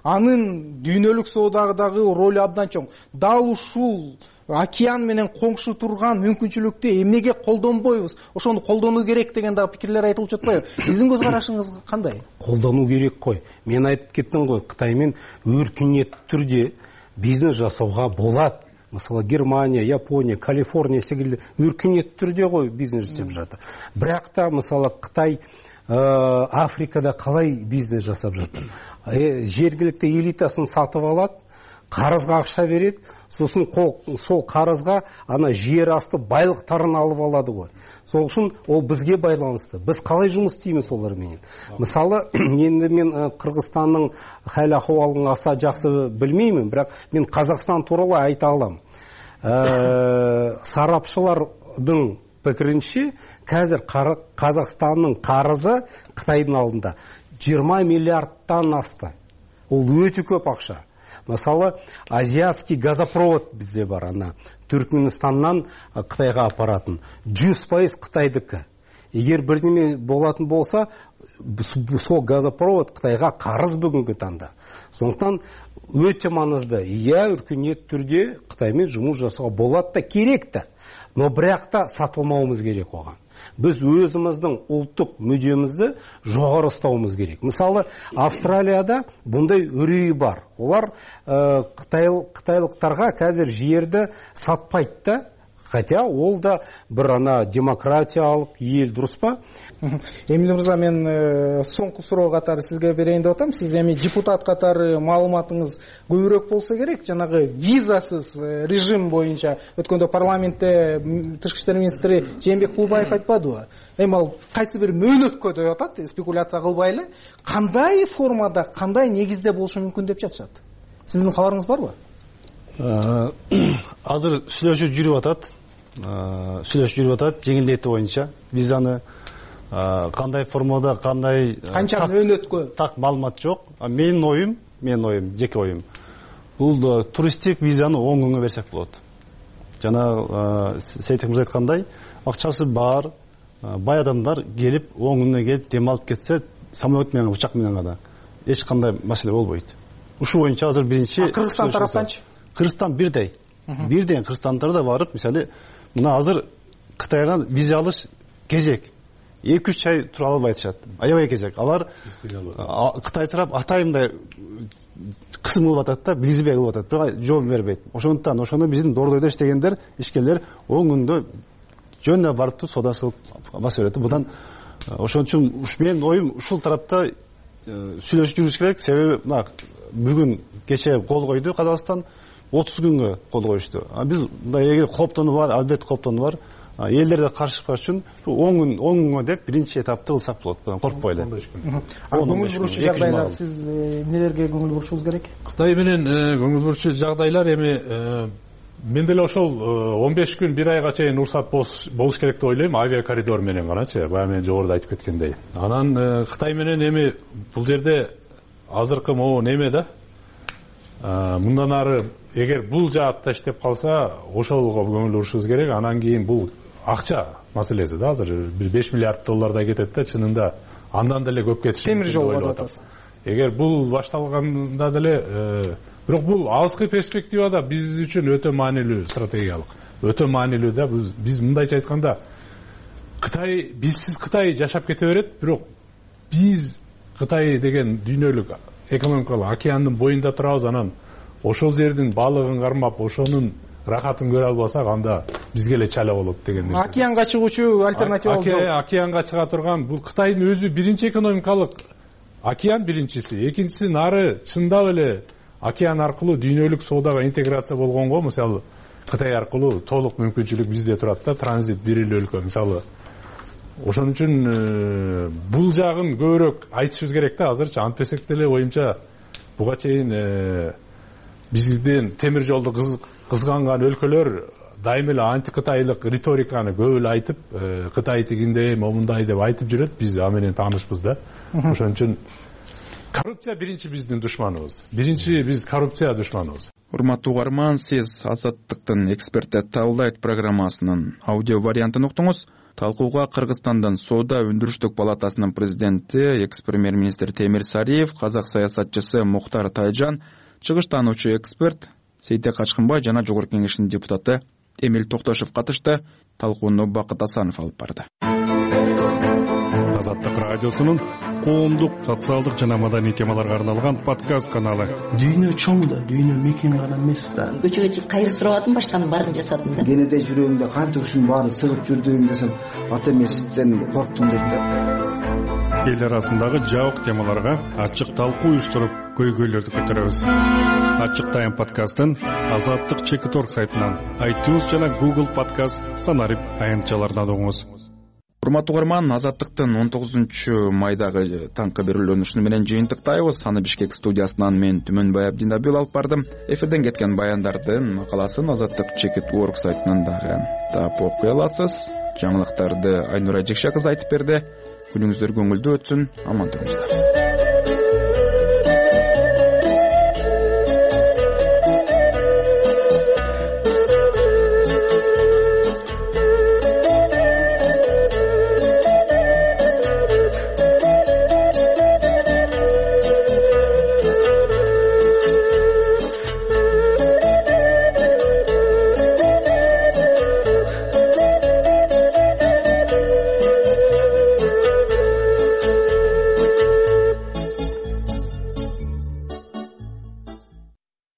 Анын дүйнөлүк соодагы ролу абдан чоң. Дал ушул океан менен коңшу турган мүмкүнчүлүктү эмнеге колдонбойбуз? Ошону колдонуу керек деген дагы пикирлер айтылып жатпайбы? Сиздин көз карашыңыз кандай? Колдонуу керек кой. Мен айтып кеттим го, Кытай менен өркүнөттүү түрдө бизнес жасауга болот. Мисалы Германия, Япония, Калифорния секилди өркүнөттүү түрдө го бизнес жасап жатыр. Бирок та мисалы Кытай Африкада калай бизнес жасап жатыр? Жергиликтүү элитасын сатып алат, карызга акча берет, сосын сол карызга ана жер асты байлыктарын алып алады го. Сол үчүн ол бизге байланыштуу. Биз калай жумуш истейбиз олар менен? Мисалы, мен Кыргызстандын хал акыбалын аса жакшы билмеймин, бирок мен Казакстан тууралуу айта алам. Сарапчылардын пикиринче, қазір Қазақстанның қарызы Қытайдың алдында 20 миллиардтан асты. Ол өтө көп акча. Мысалы, азиатский газопровод бізде бар, ана Түркменстаннан Қытайға апаратын. 100% Қытайдікі. Егер бірдеме болатын болса, сол газопровод Қытайға қарыз бүгінгі таңда. Сондықтан өте маңызды. Өркениет түрде Қытаймен жұмыс жасауға болады да, керек та. Но бірақ та сатылмауымыз керек оған. Біз өзіміздің ұлттық мүддемізді жоғары ұстауымыз керек. Мысалы, Австралияда бұндай үрей бар. Олар қытайлықтарға қазір жерді сатпайды да, хотя ол да бір демократиялық ел, дұрыс па? Эмиль мырза, мен соңғы суроо катары сизге берейин деп атам. Сиз эми депутат катары маалыматыңыз көбүрөөк болсо керек. Жанагы визасыз режим боюнча өткөндө парламентте тышкы иштер министри Жээнбек Кулбаев айтпадыбы? Эми ал кайсы бир мөөнөткө деп атат, спекуляция кылбай эле. Кандай формада, кандай негизде болушу мүмкүн деп жатышат? Сиздин кабарыңыз барбы? Азыр сүйлөшүү жүрүп атат. Жеңилдетүү боюнча визаны кандай формада, кандай канча мөөнөткө так маалымат жок. Менин оюм, жеке оюм. Бул туристтик визаны 10 күнгө берсек болот. Жана Сейтек мырза айткандай, акчасы бар, бай адамдар келип 10 күнгө келип демалып кетсе, самолет менен, учак менен гана эч кандай маселе болбойт. Ушул боюнча азыр биринчи Кыргызстан тараптанчы? Кыргызстан бирдей. Кыргызстандары да барып, мисалы, мына азыр Кытайга виза алыш кезек. 2-3 ай тура албай атышат. Аябай кезек. Алар Кытай тарап атайымдай кысым кылып атат да, билизбей кылып атат. Бирок жооп бербейт. Ошондуктан ошону биздин Дордойдо иштегендер, ишкерлер 10 күндө жөнүнө барып соода кылып баса берет. Будан ошон үчүн менин оюм ушул тарапта сүйлөшүп жүрүш керек. Себеби мына бүгүн кече кол койду Казакстан, 30 күнгө кол коюшту. Биз эгер кооптонуу бар, албетте кооптонуу бар. Элдерде каршылык үчүн 10 күнгө деп биринчи этапты кылсак болот. Коркпой эле. Көңүл буруучу жагдайлар, сиз нелерге көңүл бурушуңуз керек? Кытай менен көңүл буруучу жагдайлар эми мен деле ошол 15 күн 1 айга чейин уруксат болуш керек деп ойлойм, авиа коридор менен ганачы. Бая мен жогоруда айтып кеткендей. Анан Кытай менен эми бул жерде азыркы могу неме да? Мындан ары эгер бул жаатта иштеп калса, ошолго көңүл бурушубуз керек. Анан кийин бул акча маселеси да, азыр бир 5 миллиард доллардай кетет да, чынында андан деле көп кетиши. Темир жол деп атасыз. Эгер бул башталганда деле, бирок бул алыскы перспективада биз үчүн өтө маанилүү, стратегиялык. Өтө маанилүү да. Биз мындайча айтканда, Кытай, бизсиз Кытай жашап кете берет, бирок биз Кытай деген дүйнөлүк экономикалык океандын боюнда турабыз, анан ошол жердин балыгын кармап, ошонун рахатын көрө албасак, анда бизге эле чала болот деген. Океанга чыгуучу альтернатива жок. Океанга чыга турган бул Кытайдын өзү биринчи экономикалык океан биринчиси, экинчиси нары чындап эле океан аркылуу дүйнөлүк соодага интеграция болгонго, мисалы Кытай аркылуу толук мүмкүнчүлүк бизде турат да, транзит бир эле өлкө мисалы. Ошон үчүн бул жагын көбүрөөк айтышыбыз керек да азырчы. Антпесек деле оюмча буга чейин бизден темир жолду кызганган өлкөлөр дайым эле антикытайлык риториканы көп эле айтып, Кытай тигиндей, момундай деп айтып жүрөт. Биз ага менен таанышпыз да. Ошон үчүн коррупция биринчи биздин душманыбыз. Биз коррупция душманыбыз. Урматтуу угарман, сиз Азаттыктын эксперттер талдайт программасынын аудио вариантын уктуңуз. Талкууга Кыргызстандан Соода өндүрүштүк палатасынын президенти, экс-премьер-министр Темир Сариев, казак саясатчысы Мухтар Тайжан, чыгыштануучу эксперт Сейтек Качкынбай жана Жогорку Кеңештин депутаты Эмиль Токтошев катышты. Талкууну Бакыт Асанов алып барды. Азаттык радиосунун коомдук, социалдык жана маданий темаларга арналган подкаст каналы. Дүйнө чоң да, дүйнө мекен гана эмес да. Көчөгө чыгып кайыр сурабадым, башканын баарын жасадым да. Кенеде жүрөгүмдө канча ушунун баарын сыгып жүрдүм десем, ата эмесизден корктум дейт да. Эл арасындагы жабык темаларга ачык талкуу уюштуруп, көйгөйлөрдү көтөрөбүз. Ачык тайм подкастын Азаттык Чекит.org сайтынан, iTunes жана Google Podcast санарип аянтчаларынан угуңуз. Урматтуу угарман, Азаттыктын 19-майдагы таңкы берүүлөнүшү менен жыйынтыктайбыз. Аны Бишкек студиясынан мен Түмөнбай Абдинабил алып бардым. Эфирден кеткен баяндардын макаласын Азаттык Чекит.org сайтынан дагы таап окуй аласыз. Жаңылыктарды Айнура Жекше кызы айтып берди. Күнүңүздөр көңүлдүү өтсүн. Аман туруңуздар.